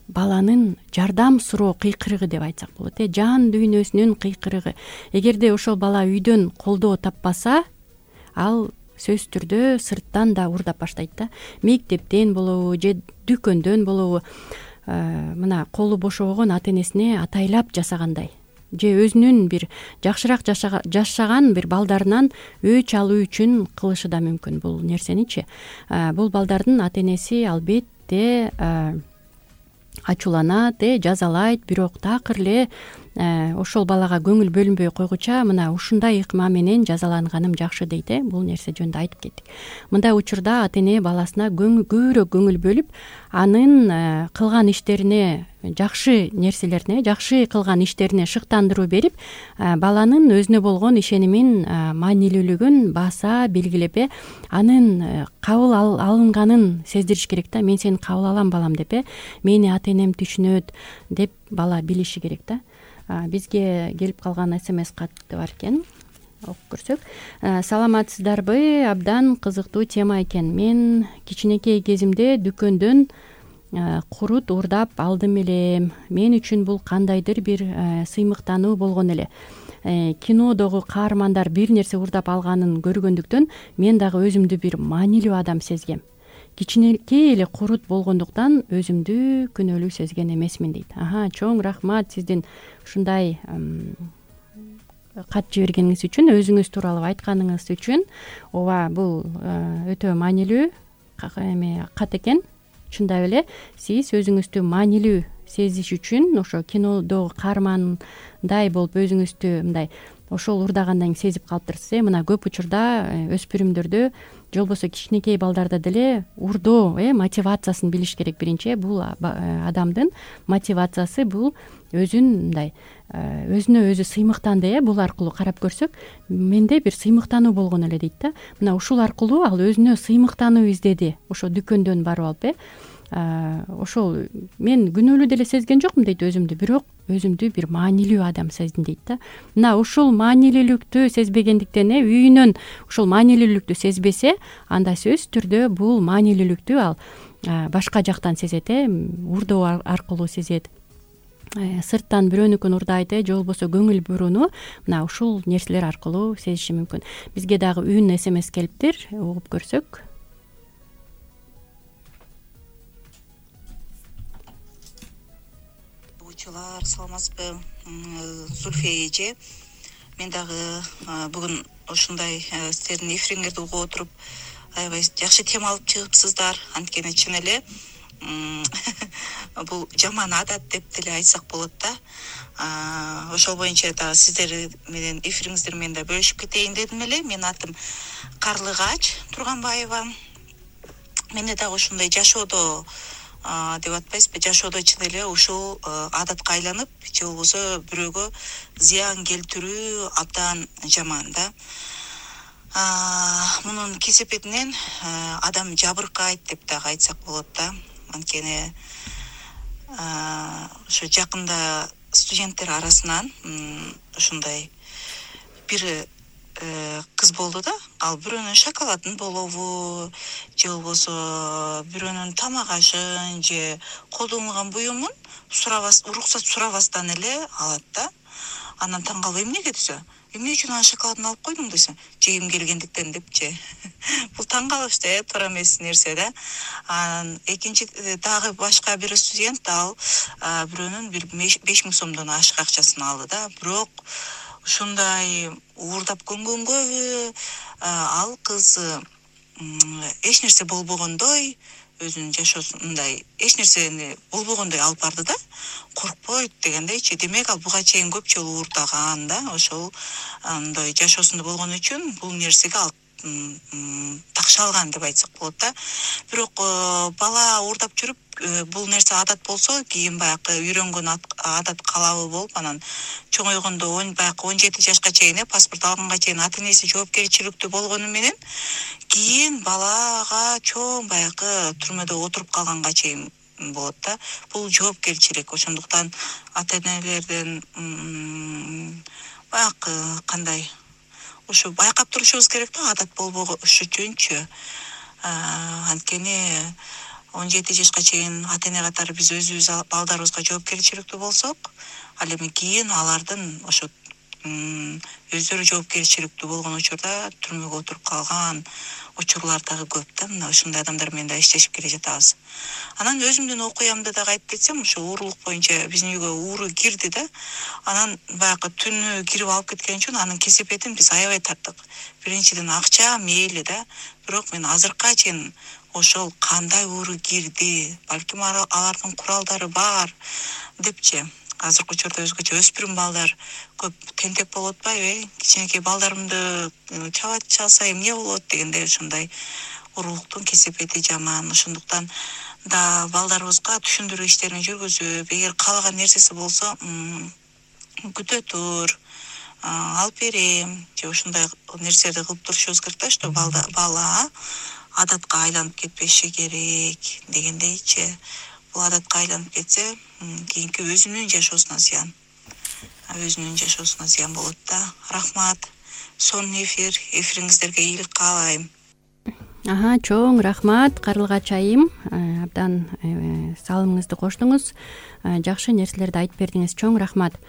баланын жардам суроо кыйкырыгы деп айтсак болот. Жан дүйнөсүнүн кыйкырыгы. Эгерде ошол бала үйдөн колдоо таппаса, ал сөзсүз түрдө сырттан да уурдап баштайт да. Мектептен болобу же дүкөндөн болобу, мына колу бошобогон ата энесине атайлап жасагандай, же өзүнүн бир жакшыраак жашаган бир балдарынан өч алуу үчүн кылышы да мүмкүн бул нерсеничи. Бул балдардын ата энеси албетте ачууланат, жазалайт, бирок такыр эле ошол балага көңүл бөлүнбөй койгуча мына ушундай ыкма менен жазаланганым жакшы дейт. Бул нерсе жөнүндө айтып кеттик. Мындай учурда ата эне баласына көбүрөөк көңүл бөлүп, анын кылган иштерине, жакшы нерселерине, жакшы кылган иштерине шыктандыруу берип, баланын өзүнө болгон ишенимин маанилүүлүгүн баса белгилеп, анын кабыл алынганын сездириш керек да. Мен сени кабыл алам балам деп, мени ата энем түшүнөт деп бала билиши керек да. Бизге келип калган SMS катты бар экен, окуп көрсөк. Саламатсыздарбы? Абдан кызыктуу тема экен. Мен кичинекей кезимде дүкөндөн курут уурдап алдым эле. Мен үчүн бул кандайдыр бир сыймыктануу болгон эле. Кинодогу каармандар бир нерсе уурдап алганын көргөндүктөн мен дагы өзүмдү бир маанилүү адам сезгем. Кичинекей эле курут болгондуктан өзүмдү күнөөлүү сезген эмесмин дейт. Чоң рахмат сиздин ушундай кат жибергениңиз үчүн, өзүңүз тууралуу айтканыңыз үчүн. Ооба, бул өтө маанилүү кат экен. Чындап эле сиз өзүңүздү маанилүү сезиш үчүн ошо кинодогу каармандай болуп өзүңүздү мындай ошол уурдагандан кийин сезип калыптырсыз. Мына көп учурда өспүрүмдөрдө же болбосо кичинекей балдарда деле уурдоо мотивациясын билиш керек. Биринчи бул адамдын мотивациясы, бул өзүн мындай өзүнө өзү сыймыктанды. Бул аркылуу карап көрсөк, менде бир сыймыктануу болгон эле дейт да. Мына ушул аркылуу ал өзүнө сыймыктануу издеди. Ошо дүкөндөн барып алып, ошол мен күнөөлүү деле сезген жокмун дейт өзүмдү, бирок өзүмдү бир маанилүү адам сездим дейт да. Мына ушул маанилүүлүктү сезбегендиктен, үйүнөн ушул маанилүүлүктү сезбесе, анда сөзсүз түрдө бул маанилүүлүктү ал башка жактан сезет, уурдоо аркылуу сезет. Сырттан бирөөнүкүн уурдайт, же болбосо көңүл бурууну мына ушул нерселер аркылуу сезиши мүмкүн. Бизге дагы үн SMS келиптир, угуп көрсөк. Саламатсызбы, Зульфия эже. Мен дагы бүгүн ушундай сиздердин эфириңерди угуп отуруп, аябай жакшы тема алып чыгыпсыздар. Анткени чын эле бул жаман адат деп деле айтсак болот да. Ошол боюнча дагы сиздер менен эфириңиздер менен да бөлүшүп кетейин дедим эле. Менин атым Карлыгач Турганбаева. Менде дагы ушундай жашоодо деп атпайсызбы, жашоодо чын эле ушул адатка айланып, же болбосо бирөөгө зыян келтирүү абдан жаман да. Мунун кесепетинен адам жабыркайт деп дагы айтсак болот да. Анткени ошо жакында студенттер арасынан ушундай бир кыз болду да, ал бирөөнүн шоколадын болобу же болбосо бирөөнүн тамак ашын же колдонулган буюмун уруксат сурабастан эле алат да. Анан таң калып эмнеге десе, эмне үчүн анын шоколадын алып койдуң десе, жегим келгендиктен депчи. Бул таң калыштуу, туура эмес нерсе да. Анан экинчи дагы башка бир студент ал бирөөнүн 5000 сомдон ашык акчасын алды да. Бирок ушундай уурдап көнгөнгөбү ал кыз эч нерсе болбогондой, өзүнүн жашоосун мындай эч нерсени болбогондой алып барды да, коркпойт дегендейчи. Демек ал буга чейин көп жолу уурдаган да, ошол андай жашоосунда болгон үчүн бул нерсеге ал такшалган деп айтсак болот да. Бирок бала уурдап жүрүп бул нерсе адат болсо, кийин баягы үйрөнгөн адат калабы болуп, анан чоңойгондо баягы 17 жашка чейин паспорт алганга чейин ата энеси жоопкерчиликтүү болгону менен кийин балага чоң баягы түрмөдө отуруп калганга чейин болот да. Бул жоопкерчилик. Ошондуктан ата энелерден баягы кандай ушу байкап турушубуз керек да, адат болбош үчүнчү. Анткени 17 жашка чейин ата эне катары биз өзүбүз балдарыбызга жоопкерчиликтүү болсок, ал эми кийин алардын ошо өздөрү жоопкерчиликтүү болгон учурда түрмөгө отуруп калган учурлар дагы көп да. Мына ушундай адамдар менен да иштешип келе жатабыз. Анан өзүмдүн окуямды дагы айтып кетсем, ошо уурулук боюнча биздин үйгө ууру кирди да. Анан баягы түнү кирип алып кеткен үчүн анын кесепетин биз аябай тарттык. Биринчиден акча мейли да, бирок мен азыркыга чейин ошол кандай ууру кирди, балким алардын куралдары бар депчи. Азыркы учурда өзгөчө өспүрүм балдар көп тентек болуп атпайбы? Кичинекей балдарымды чалса эмне болот дегендей ушундай уурулуктун кесепети жаман. Ошондуктан да балдарыбызга түшүндүрүү иштерин жүргүзүп, эгер каалаган нерсеси болсо күтө тур, алып берем же ушундай нерселерди кылып турушубуз керек да, что бала адатка айланып кетпеши керек дегендейчи. Бул адатка айланып кетсе, кийинки өзүнүн жашоосуна зыян. Өзүнүн жашоосуна зыян болот да. Рахмат. Сонун эфириңиздерге ийгилик каалайм. Чоң рахмат Карлыгач айым. Абдан салымыңызды коштуңуз. Жакшы нерселерди айтып бердиңиз. Чоң рахмат.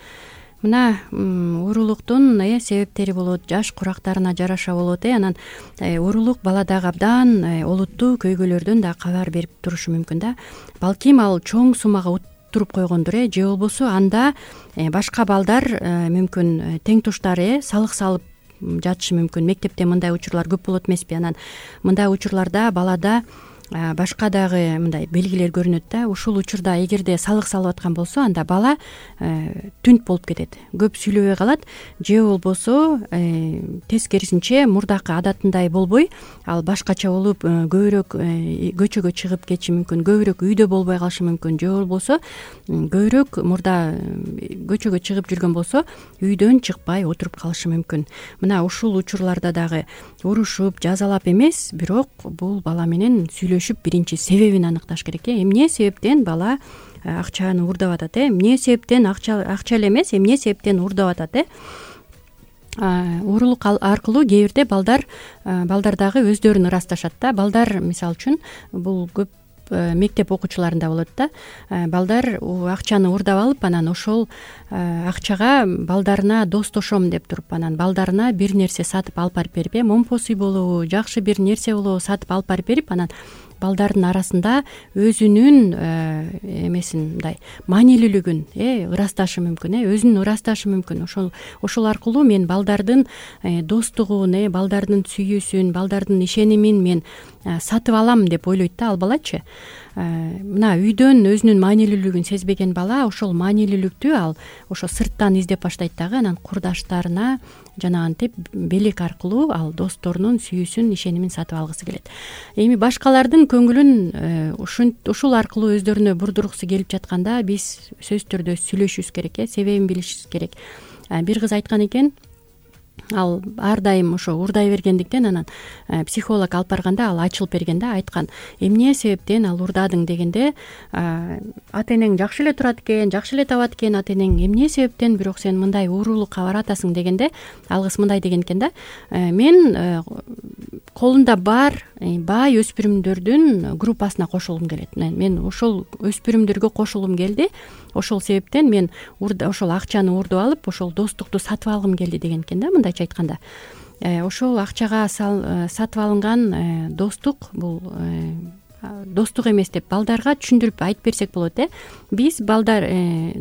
Мына уурулуктун себептери болот, жаш курактарына жараша болот. Анан уурулук баладагы абдан олуттуу көйгөйлөрдөн да кабар берип турушу мүмкүн да. Балким ал чоң сумага туруп койгондур, же болбосо анда башка балдар мүмкүн тең туштары салык салып жатышы мүмкүн. Мектепте мындай учурлар көп болот эмеспи? Анан мындай учурларда балада башка дагы мындай белгилер көрүнөт да. Ушул учурда эгерде салык салып аткан болсо, анда бала түнт болуп кетет, көп сүйлөбөй калат, же болбосо тескерисинче мурдакы адатындай болбой, ал башкача болуп көбүрөөк көчөгө чыгып кетиши мүмкүн, көбүрөөк үйдө болбой калышы мүмкүн, же болбосо көбүрөөк мурда көчөгө чыгып жүргөн болсо үйдөн чыкпай отуруп калышы мүмкүн. Мына ушул учурларда дагы урушуп, жазалап эмес, бирок бул бала менен сүйлөшүп биринчи себебин аныкташ керек. Эмне себептен бала акчаны уурдап атат? Эмне себептен акча эле эмес, эмне себептен уурдап атат? Уурулук аркылуу кээ бирде балдар дагы өздөрүн ырасташат да. Балдар мисалы үчүн бул көп мектеп окуучуларында болот да. Балдар акчаны уурдап алып, анан ошол акчага балдарына достошом деп туруп, анан балдарына бир нерсе сатып алып барып берип, момпосуй болобу, жакшы бир нерсе болобу сатып алып барып берип, анан балдардын арасында өзүнүн эмесин мындай маанилүүлүгүн ырасташы мүмкүн, өзүн ырасташы мүмкүн. Ошол аркылуу мен балдардын достугун, балдардын сүйүүсүн, балдардын ишенимин мен сатып алам деп ойлойт да ал балачы. Мына үйдөн өзүнүн маанилүүлүгүн сезбеген бала ошол маанилүүлүктү ал ошо сырттан издеп баштайт дагы, анан курдаштарына жанагынтип белек аркылуу ал досторунун сүйүүсүн, ишенимин сатып алгысы келет. Эми башкалардын көңүлүн ушул аркылуу өздөрүнө бурдургусу келип жатканда биз сөзсүз түрдө сүйлөшүбүз керек, себебин билишибиз керек. Бир кыз айткан экен, ал ар дайым ошо уурдай бергендиктен анан психолог алып барганда ал ачылып берген да, айткан эмне себептен ал уурдадың дегенде ата энең жакшы эле турат экен, жакшы эле табат экен ата энең, эмне себептен бирок сен мындай уурулукка баратасың дегенде ал кыз мындай деген экен да, мен колумда бар бай өспүрүмдөрдүн группасына кошулгум келет, мен ошол өспүрүмдөргө кошулгум келди, ошол себептен мен ошол акчаны уурдуп алып ошол достукту сатып алгым келди деген экен да, мындайча айтканда. Ошол акчага сатып алынган достук бул достук эмес деп балдарга түшүндүрүп айтып берсек болот. Биз балдар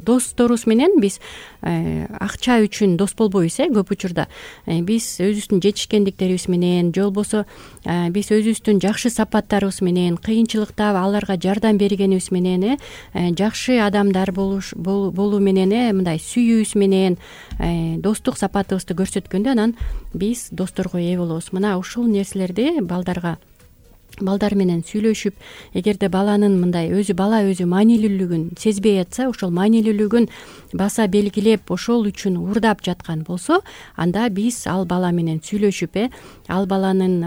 досторубуз менен биз акча үчүн дос болбойбуз. Көп учурда биз өзүбүздүн жетишкендиктерибиз менен же болбосо биз өзүбүздүн жакшы сапаттарыбыз менен, кыйынчылыкта аларга жардам бергенибиз менен, жакшы адамдар болуу менен, мындай сүйүүбүз менен достук сапатыбызды көрсөткөндө анан биз досторго ээ болобуз. Мына ушул нерселерди балдар менен сүйлөшүп, эгерде баланын мындай бала өзү маанилүүлүгүн сезбей атса, ошол маанилүүлүгүн баса белгилеп ошол үчүн уурдап жаткан болсо, анда биз ал бала менен сүйлөшүп, ал баланын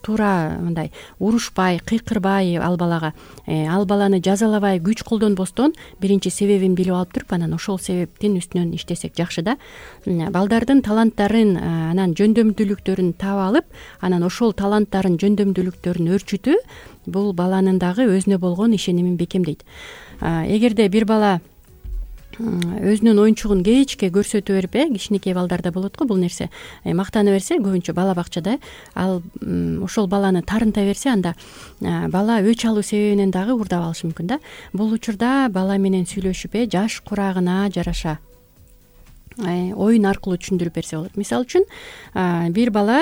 туура мындай урушпай, кыйкырбай ал баланы жазалабай, күч колдонбостон биринчи себебин билип алып туруп, анан ошол себептин үстүнөн иштесек жакшы да. Балдардын таланттарын, анан жөндөмдүүлүктөрүн таап алып, анан ошол таланттарын, жөндөмдүүлүктөрүн өрчүтүү бул баланын дагы өзүнө болгон ишенимин бекемдейт. Эгерде бир бала өзүнүн оюнчугун кечке көрсөтө берип, кичинекей балдарда болот го бул нерсе, мактана берсе, көбүнчө бала бакчада ал ошол баланы тарынта берсе, анда бала өч алуу себебинен дагы уурдап алышы мүмкүн да. Бул учурда бала менен сүйлөшүп, жаш курагына жараша оюн аркылуу түшүндүрүп берсе болот. Мисалы үчүн бир бала,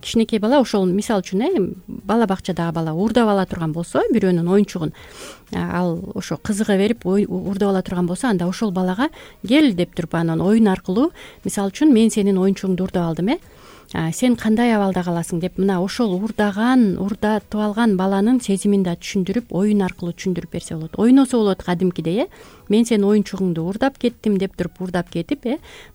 кичинекей бала, ошол мисалы үчүн бала бакчадагы бала уурдап ала турган болсо, бирөөнүн оюнчугун ал ошо кызыга берип уурдап ала турган болсо, анда ошол балага кел деп туруп анан оюн аркылуу, мисалы үчүн мен сенин оюнчугуңду уурдап алдым, сен кандай абалда каласың деп, мына ошол уурдатып алган баланын сезимин да түшүндүрүп, оюн аркылуу түшүндүрүп берсе болот. Ойносо болот кадимкидей, мен сенин оюнчугуңду уурдап кеттим деп туруп, уурдап кетип,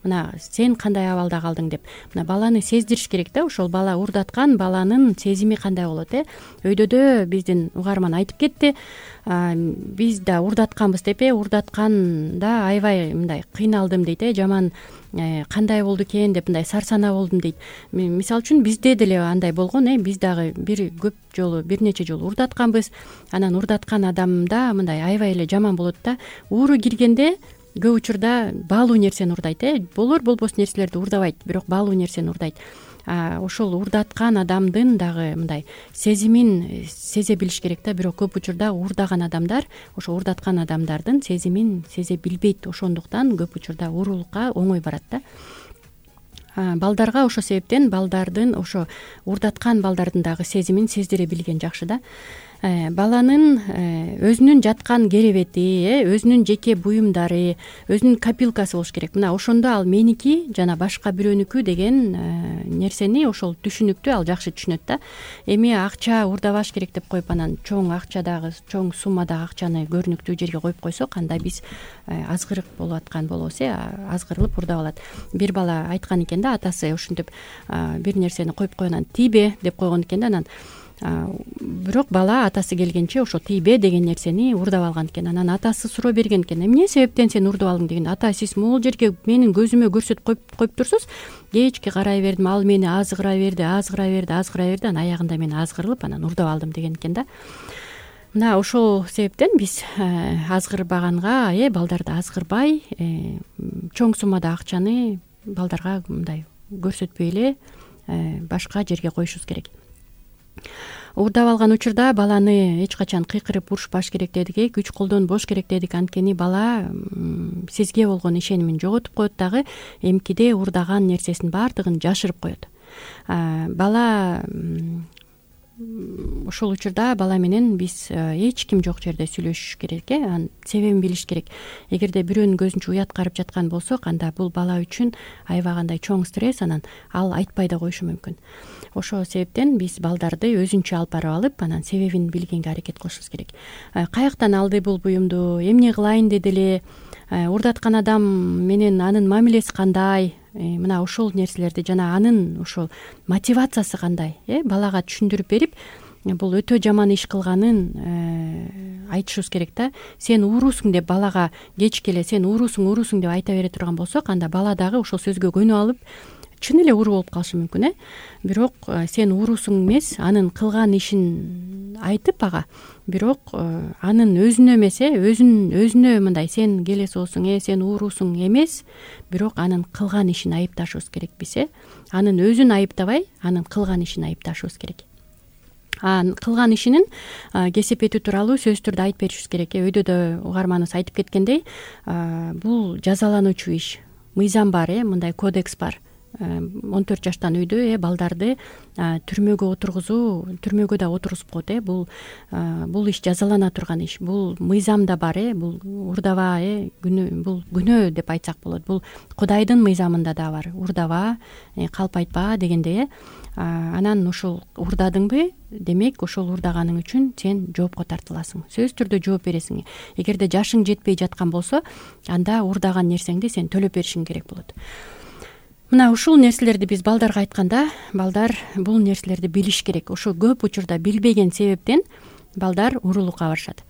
мына сен кандай абалда калдың деп, мына баланы сездириш керек да, ошол бала уурдаткан баланын сезими кандай болот. Өйдөдө биздин угарман айтып кетти, биз да уурдатканбыз деп, уурдатканда аябай мындай кыйналдым дейт, жаман кандай болду экен деп мындай сарсанаа болдум дейт. Мисалы үчүн бизде деле андай болгон, биз дагы бир нече жолу уурдатканбыз. Анан уурдаткан адамда мындай аябай эле жаман болот да. Ууру киргенде көп учурда баалуу нерсени уурдайт, болбос нерселерди уурдабайт, бирок баалуу нерсени уурдайт. Ошол уурдаткан адамдын дагы мындай сезимин сезе билиш керек да, бирок көп учурда уурдаган адамдар ошо уурдаткан адамдардын сезимин сезе билбейт. Ошондуктан көп учурда уурулукка оңой барат да. Балдарга ошол себептен балдардын ошо уурдаткан балдардын дагы сезимин сездире билген жакшы да. Баланын өзүнүн жаткан керебети, өзүнүн жеке буюмдары, өзүнүн копилкасы болуш керек. Мына ошондо ал меники жана башка бирөөнүкү деген нерсени ошол түшүнүктү ал жакшы түшүнөт да. Эми акча уурдабаш керек деп коюп, анан чоң акчадагы, чоң суммадагы акчаны көрүнүктүү жерге коюп койсок, анда биз азгырык болуп аткан болобуз, азгырылып уурдап алат. Бир бала айткан экен да, атасы ошентип бир нерсени коюп койгонан тийбе деп койгон экен да, анан бирок бала атасы келгенче ошо тийбе деген нерсени уурдап алган экен. Анан атасы суроо берген экен, эмне себептен сен уурдап алдың деген. Ата, сиз могул жерге менин көзүмө көрсөтүп коюп турсуз, кечке карай бердим, ал мени азгыра берди, анан аягында мен азгырылып анан уурдап алдым деген экен да. Мына ошол себептен биз азгырбаганга, балдарды азгырбай, чоң суммада акчаны балдарга мындай көрсөтпөй эле башка жерге коюшубуз керек. Уурдап алган учурда баланы эч качан кыйкырып урушпаш керек дедик, күч колдонбош керек дедик. Анткени бала сизге болгон ишенимин жоготуп коет дагы, эмкиде уурдаган нерсесин баардыгын жашырып коет. Бала ошол учурда бала менен биз эч ким жок жерде сүйлөшүш керек, анын себебин билиш керек. Эгерде бирөөнүн көзүнчө уят карып жаткан болсок, анда бул бала үчүн аябагандай чоң стресс, анан ал айтпай да коюшу мүмкүн. Ошол себептен биз балдарды өзүнчө алып барып алып, анан себебин билгенге аракет кылышыбыз керек. Каяктан алды бул буюмду, эмне кылайын деди эле, уурдаткан адам менен анын мамилеси кандай, мына ошол нерселерди жана анын ошол мотивациясы кандай балага түшүндүрүп берип, бул өтө жаман иш кылганын айтышыбыз керек да. Сен уурусуң деп балага кечке эле сен уурусуң деп айта бере турган болсок, анда бала дагы ошол сөзгө көнүп алып чын эле ууру болуп калышы мүмкүн. Бирок сен уурусуң эмес, анын кылган ишин айтып ага, бирок анын өзүнө эмес, өзүнө мындай сен келесиосуң, сен уурусуң эмес, бирок анын кылган ишин айыпташыбыз керек биз. Анын өзүн айыптабай, анын кылган ишин айыпташыбыз керек. Кылган ишинин кесепети тууралуу сөзсүз түрдө айтып беришибиз керек. Өйдө да угарманыбыз айтып кеткендей, бул жазалануучу иш, мыйзам бар, мындай кодекс бар. 14 жаштан үйдө балдарды түрмөгө отургузуу, түрмөгө да отургузуп коет. Бул иш жазалана турган иш. Бул мыйзамда бар, бул урдаба, бул күнөө деп айтсак болот. Бул Кудайдын мыйзамында да бар. Урдаба, калп айтпа дегендей. Анан ушул урдадыңбы, демек ошол урдаганың үчүн сен жоопко тартыласың. Сөзсүз түрдө жооп бересиң. Эгерде жашың жетпей жаткан болсо, анда урдаган нерсеңди сен төлөп беришиң керек болот. Мына ушул нерселерди биз балдарга айтканда, балдар бул нерселерди билиш керек. Ошо көп учурда билбеген себептен балдар уурулукка барышат.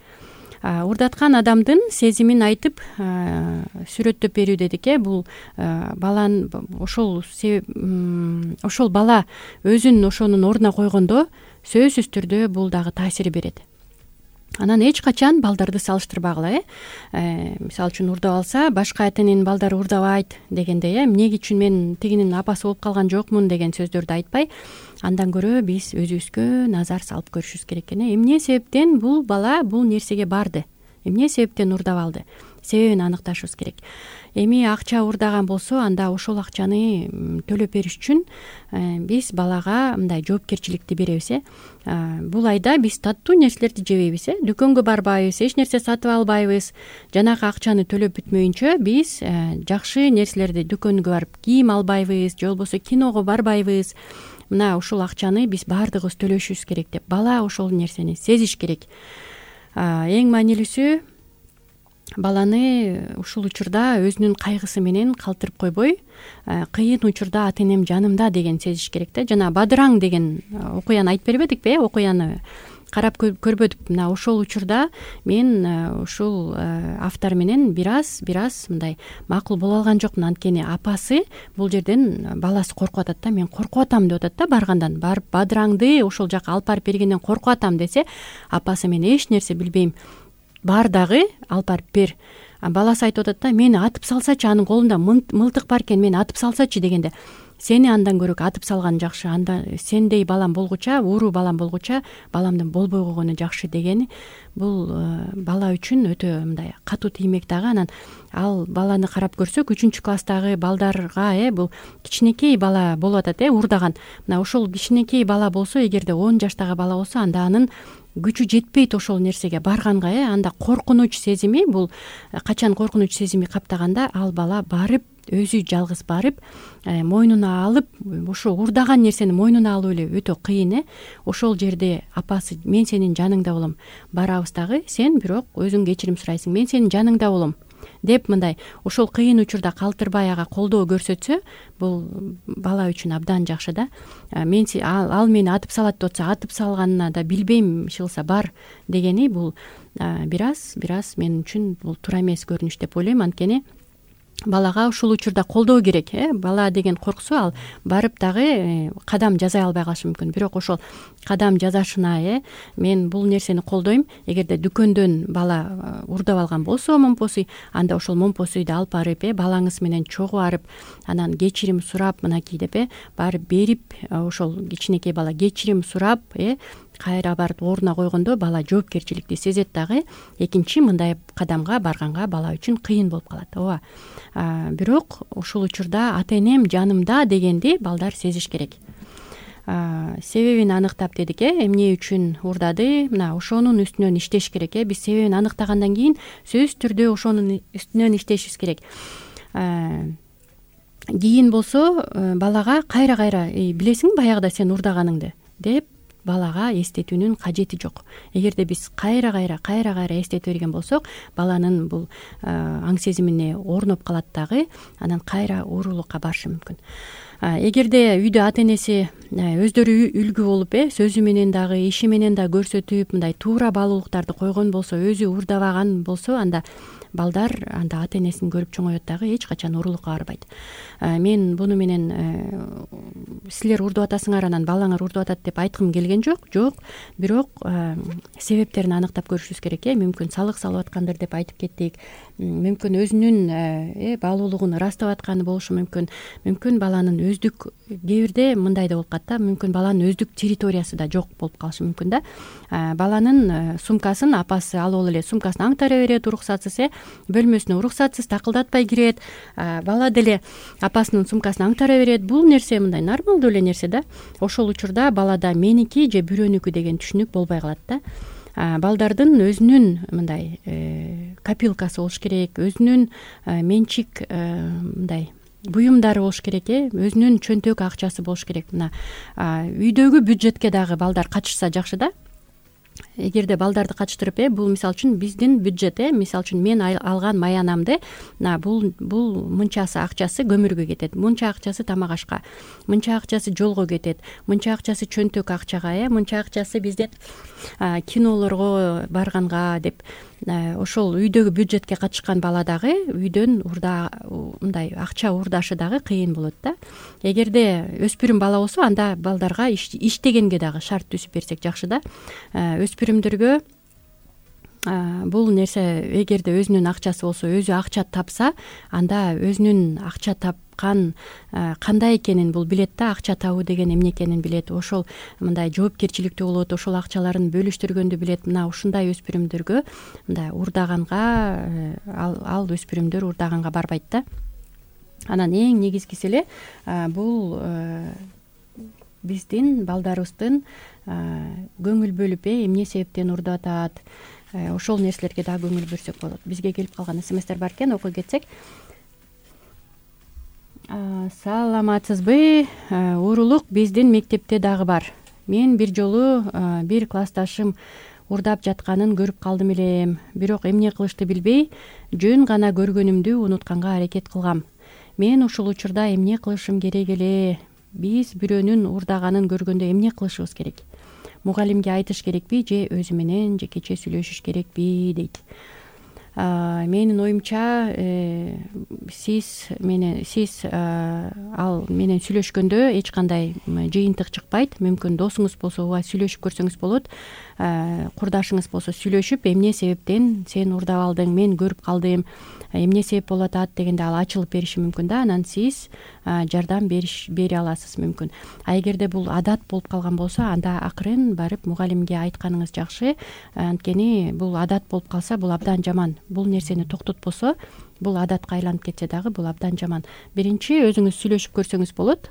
Урдаткан адамдын сезимин айтып сүрөттөп берүү дедик. Бул баланын ошол бала өзүн ошонун ордуна койгондо сөзсүз түрдө бул дагы таасир берет. Анан эч качан балдарды салыштырбагыла. Мисалы үчүн урдап алса, башка ата-эненин балдары урдабайт дегендей, эмне үчүн мен тигинин апасы болуп калган жокмун деген сөздөрдү айтпай, андан көрө биз өзүбүзгө назар салып көрүшүбүз керек экен. Эмне себептен бул бала бул нерсеге барды? Эмне себептен урдап алды? Себебин аныкташыбыз керек. Эми акча урдаган болсо, анда ошол акчаны төлөп бериш үчүн биз балага мындай жоопкерчиликти беребиз. Бул айда биз таттуу нерселерди жебейбиз, дүкөнгө барбайбыз, эч нерсе сатып албайбыз. Жанагы акчаны төлөп бүтмөйүнчө биз жакшы нерселерди дүкөнгө барып кийим албайбыз, же болбосо киного барбайбыз. Мына ушул акчаны биз баардыгыбыз төлөшүбүз керек деп бала ошол нерсени сезиш керек. Эң маанилүүсү баланы ушул учурда өзүнүн кайгысы менен калтырып койбой, кыйын учурда ата-энем жанымда деген сезиш керек да. Жана Бадыраң деген окуяны айтып бербедикпи? Окуяны карап көрбөдүк. Мына ошол учурда мен ушул автор менен бир аз мындай макул боло алган жокмун. Анткени апасы бул жерден баласы коркуп атат да. Мен коркуп атам деп атат да баргандан. Барып Бадыраңды ошол жака алып барып бергенден коркуп атам десе, апасы мен эч нерсе билбейм, бар дагы алып барып бер. Баласы айтып атат да, мени атып салсачы, анын колунда мылтык бар экен, мени атып салсачы дегенде, сени андан көрө атып салган жакшы, анда сендей балам болгуча, ууру балам болгуча, баламдын болбой койгону жакшы дегени бул бала үчүн өтө мындай катуу тиймек дагы. Анан ал баланы карап көрсөк, 3-класстагы балдарга бул кичинекей бала болуп атат, урдаган. Мына ошол кичинекей бала болсо, эгерде 10 жаштагы бала болсо, анда анын күчү жетпейт ошол нерсеге барганга. Анда коркунуч сезими, бул качан коркунуч сезими каптаганда, ал бала барып өзү жалгыз барып мойнуна алып, ошо урдаган нерсени мойнуна алуу эле өтө кыйын. Ошол жерде апасы мен сенин жаныңда болом, барабыз дагы, сен бирок өзүң кечирим сурайсың, мен сенин жаныңда болом деп мындай ошол кыйын учурда калтырбай ага колдоо көрсөтсө, бул бала үчүн абдан жакшы да. Мен ал мени атып салат деп атса, атып салганына да билбейм, ишылса бар дегени бул бир аз мен үчүн бул туура эмес көрүнүш деп ойлойм. Анткени балага ушул учурда колдоо керек. Бала деген корксо, ал барып дагы кадам жасай албай калышы мүмкүн. Бирок ошол кадам жасашына мен бул нерсени колдойм. Эгерде дүкөндөн бала урдап алган болсо момпосуй, анда ошол момпосуйду алып барып балаңыз менен чогуу барып, анан кечирим сурап, мынакей деп барып берип, ошол кичинекей бала кечирим сурап кайра барып ордуна койгондо бала жоопкерчиликти сезет дагы. Экинчи мындай кадамга барганга бала үчүн кыйын болуп калат. Ооба. Бирок ушул учурда ата-энем жанымда дегенди балдар сезиш керек. Себебин аныктап дедик, эмне үчүн урдады, мына ошонун үстүнөн иштеш керек. Биз себебин аныктагандан кийин сөзсүз түрдө ошонун үстүнөн иштешибиз керек. Кийин болсо балага кайра билесиңби баягыда сен урдаганыңды деп балага эстетүүнүн кажети жок. Эгерде биз кайра эстете берген болсок, баланын бул аң сезимине орноп калат дагы, анан кайра уурулукка барышы мүмкүн. Эгерде үйдө ата энеси өздөрү үлгү болуп, сөзү менен дагы, иши менен да көрсөтүп, мындай туура баалуулуктарды койгон болсо, өзү уурдабаган болсо, анда балдар анда ата энесин көрүп чоңоет дагы, эч качан уурулукка барбайт. Мен буну менен силер уурдап атасыңар, анан балаңар уурдап атат деп айткым келген жок, бирок себептерин аныктап көрүшүбүз керек. Мүмкүн салык салып аткандыр деп айтып кеттик, мүмкүн өзүнүн баалуулугун ырастап атканы болушу мүмкүн, мүмкүн баланын өздүк, кээ бирде мындай да болуп калат да, мүмкүн баланын өздүк территориясы да жок болуп калышы мүмкүн да. Баланын сумкасын апасы алып эле сумкасын аңтара берет, уруксатсыз, бөлмөсүнө уруксатсыз такылдатпай кирет, бала деле апасынын сумкасын аңтара берет. Бул нерсе мындай нормалдуу эле нерсе да. Ошол учурда балада меники же бирөөнүкү деген түшүнүк болбой калат да. Балдардын өзүнүн мындай копилкасы болуш керек, өзүнүн менчик мындай буюмдары болуш керек, өзүнүн чөнтөк акчасы болуш керек. Мына үйдөгү бюджетке дагы балдар катышса жакшы да. Эгерде балдарды катыштырып, бул мисалы үчүн биздин бюджет, мисалы үчүн мен алган маянамды, бул мынчасы акчасы көмүргө кетет, мынча акчасы тамак ашка, мынча акчасы жолго кетет, мынча акчасы чөнтөк акчага, мынча акчасы бизден кинолорго барганга деп, ошол үйдөгү бюджетке катышкан бала дагы үйдөн мындай акча уурдашы дагы кыйын болот да. Эгерде өспүрүм бала болсо, анда балдарга иштегенге дагы шарт түзүп берсек жакшы да. Өспүрүмдөргө бул нерсе, эгерде өзүнүн акчасы болсо, өзү акча тапса, анда өзүнүн акча тапкан кандай экенин бул билет да, акча табуу деген эмне экенин билет, ошол мындай жоопкерчиликтүү болот, ошол акчаларын бөлүштүргөндү билет. Мына ушундай өспүрүмдөргө мындай уурдаганга, ал өспүрүмдөр уурдаганга барбайт да. Анан эң негизгиси эле бул биздин балдарыбыздын көңүл бөлүп, эмне себептен уурдап атат, ошол нерселерге дагы көңүл бөлсөк болот. Бизге келип калган смстер бар экен, окуй кетсек. Саламатсызбы? Уурулук биздин мектепте дагы бар. Мен бир жолу бир классташым уурдап жатканын көрүп калдым элем, бирок эмне кылышты билбей, жөн гана көргөнүмдү унутканга аракет кылгам. Мен ушул учурда эмне кылышым керек эле? Биз бирөөнүн уурдаганын көргөндө эмне кылышыбыз керек? Мугалимге айтыш керекпи же өзү менен жекече сүйлөшүш керекпи дейт. Менин оюмча, сиз ал менен сүйлөшкөндө эч кандай жыйынтык чыкпайт. Мүмкүн досуңуз болсо ооба сүйлөшүп көрсөңүз болот. Курдашыңыз болсо сүйлөшүп, эмне себептен сен уурдап алдың, мен көрүп калдым, эмне себеп болуп атат дегенде ал ачылып бериши мүмкүн да. Анан сиз жардам бере аласыз мүмкүн. Эгерде бул адат болуп калган болсо, анда акырын барып мугалимге айтканыңыз жакшы. Анткени бул адат болуп калса, бул абдан жаман. Бул нерсени токтотпосо, бул адатка айланып кетсе дагы бул абдан жаман. Биринчи өзүңүз сүйлөшүп көрсөңүз болот.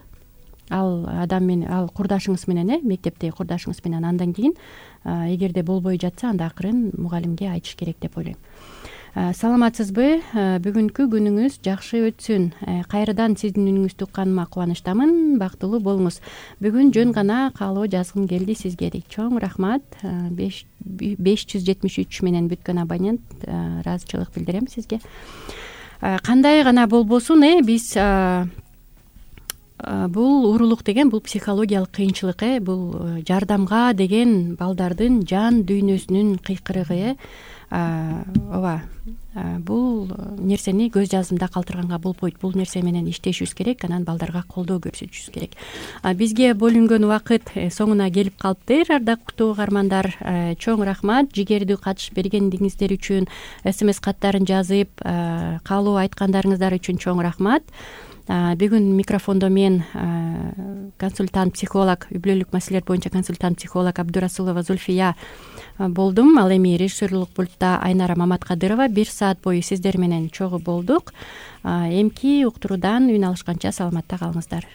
Ал адам менен, ал курдашыңыз менен, мектепте курдашыңыз менен. Андан кийин эгерде болбой жатса, анда акырын мугалимге айтыш керек деп ойлойм. Саламатсызбы? Бүгүнкү күнүңүз жакшы өтсүн. Кайрадан сиздин үнүңүздү укканыма кубанычтамын. Бактылуу болуңуз. Бүгүн жөн гана каалоо жазгым келди сизге дейт. Чоң рахмат. 573 менен бүткөн абонент, ыраазычылык билдирем сизге. Кандай гана болбосун, биз бул уурулук деген бул психологиялык кыйынчылык, бул жардамга деген балдардын жан дүйнөсүнүн кыйкырыгы. Ооба, бул нерсени көз жазымда калтырганга болбойт. Бул нерсе менен иштешибиз керек, анан балдарга колдоо көрсөтүшүбүз керек. Бизге бөлүнгөн убакыт соңуна келип калыптыр, ардактуу угармандар. Чоң рахмат жигердүү катыш бергендиңиздер үчүн, СМС каттарын жазып, каалоо айткандарыңыздар үчүн чоң рахмат. Бүгүн микрофондо мен, консультант психолог, үй бүлөлүк маселелер боюнча консультант психолог Абдурасулова Зульфия болдум. Ал эми режиссерлук пультта Айнара Маматкадырова. 1 саат бою сиздер менен чогуу болдук. Эмки уктуруудан үн алышканча саламатта калыңыздар.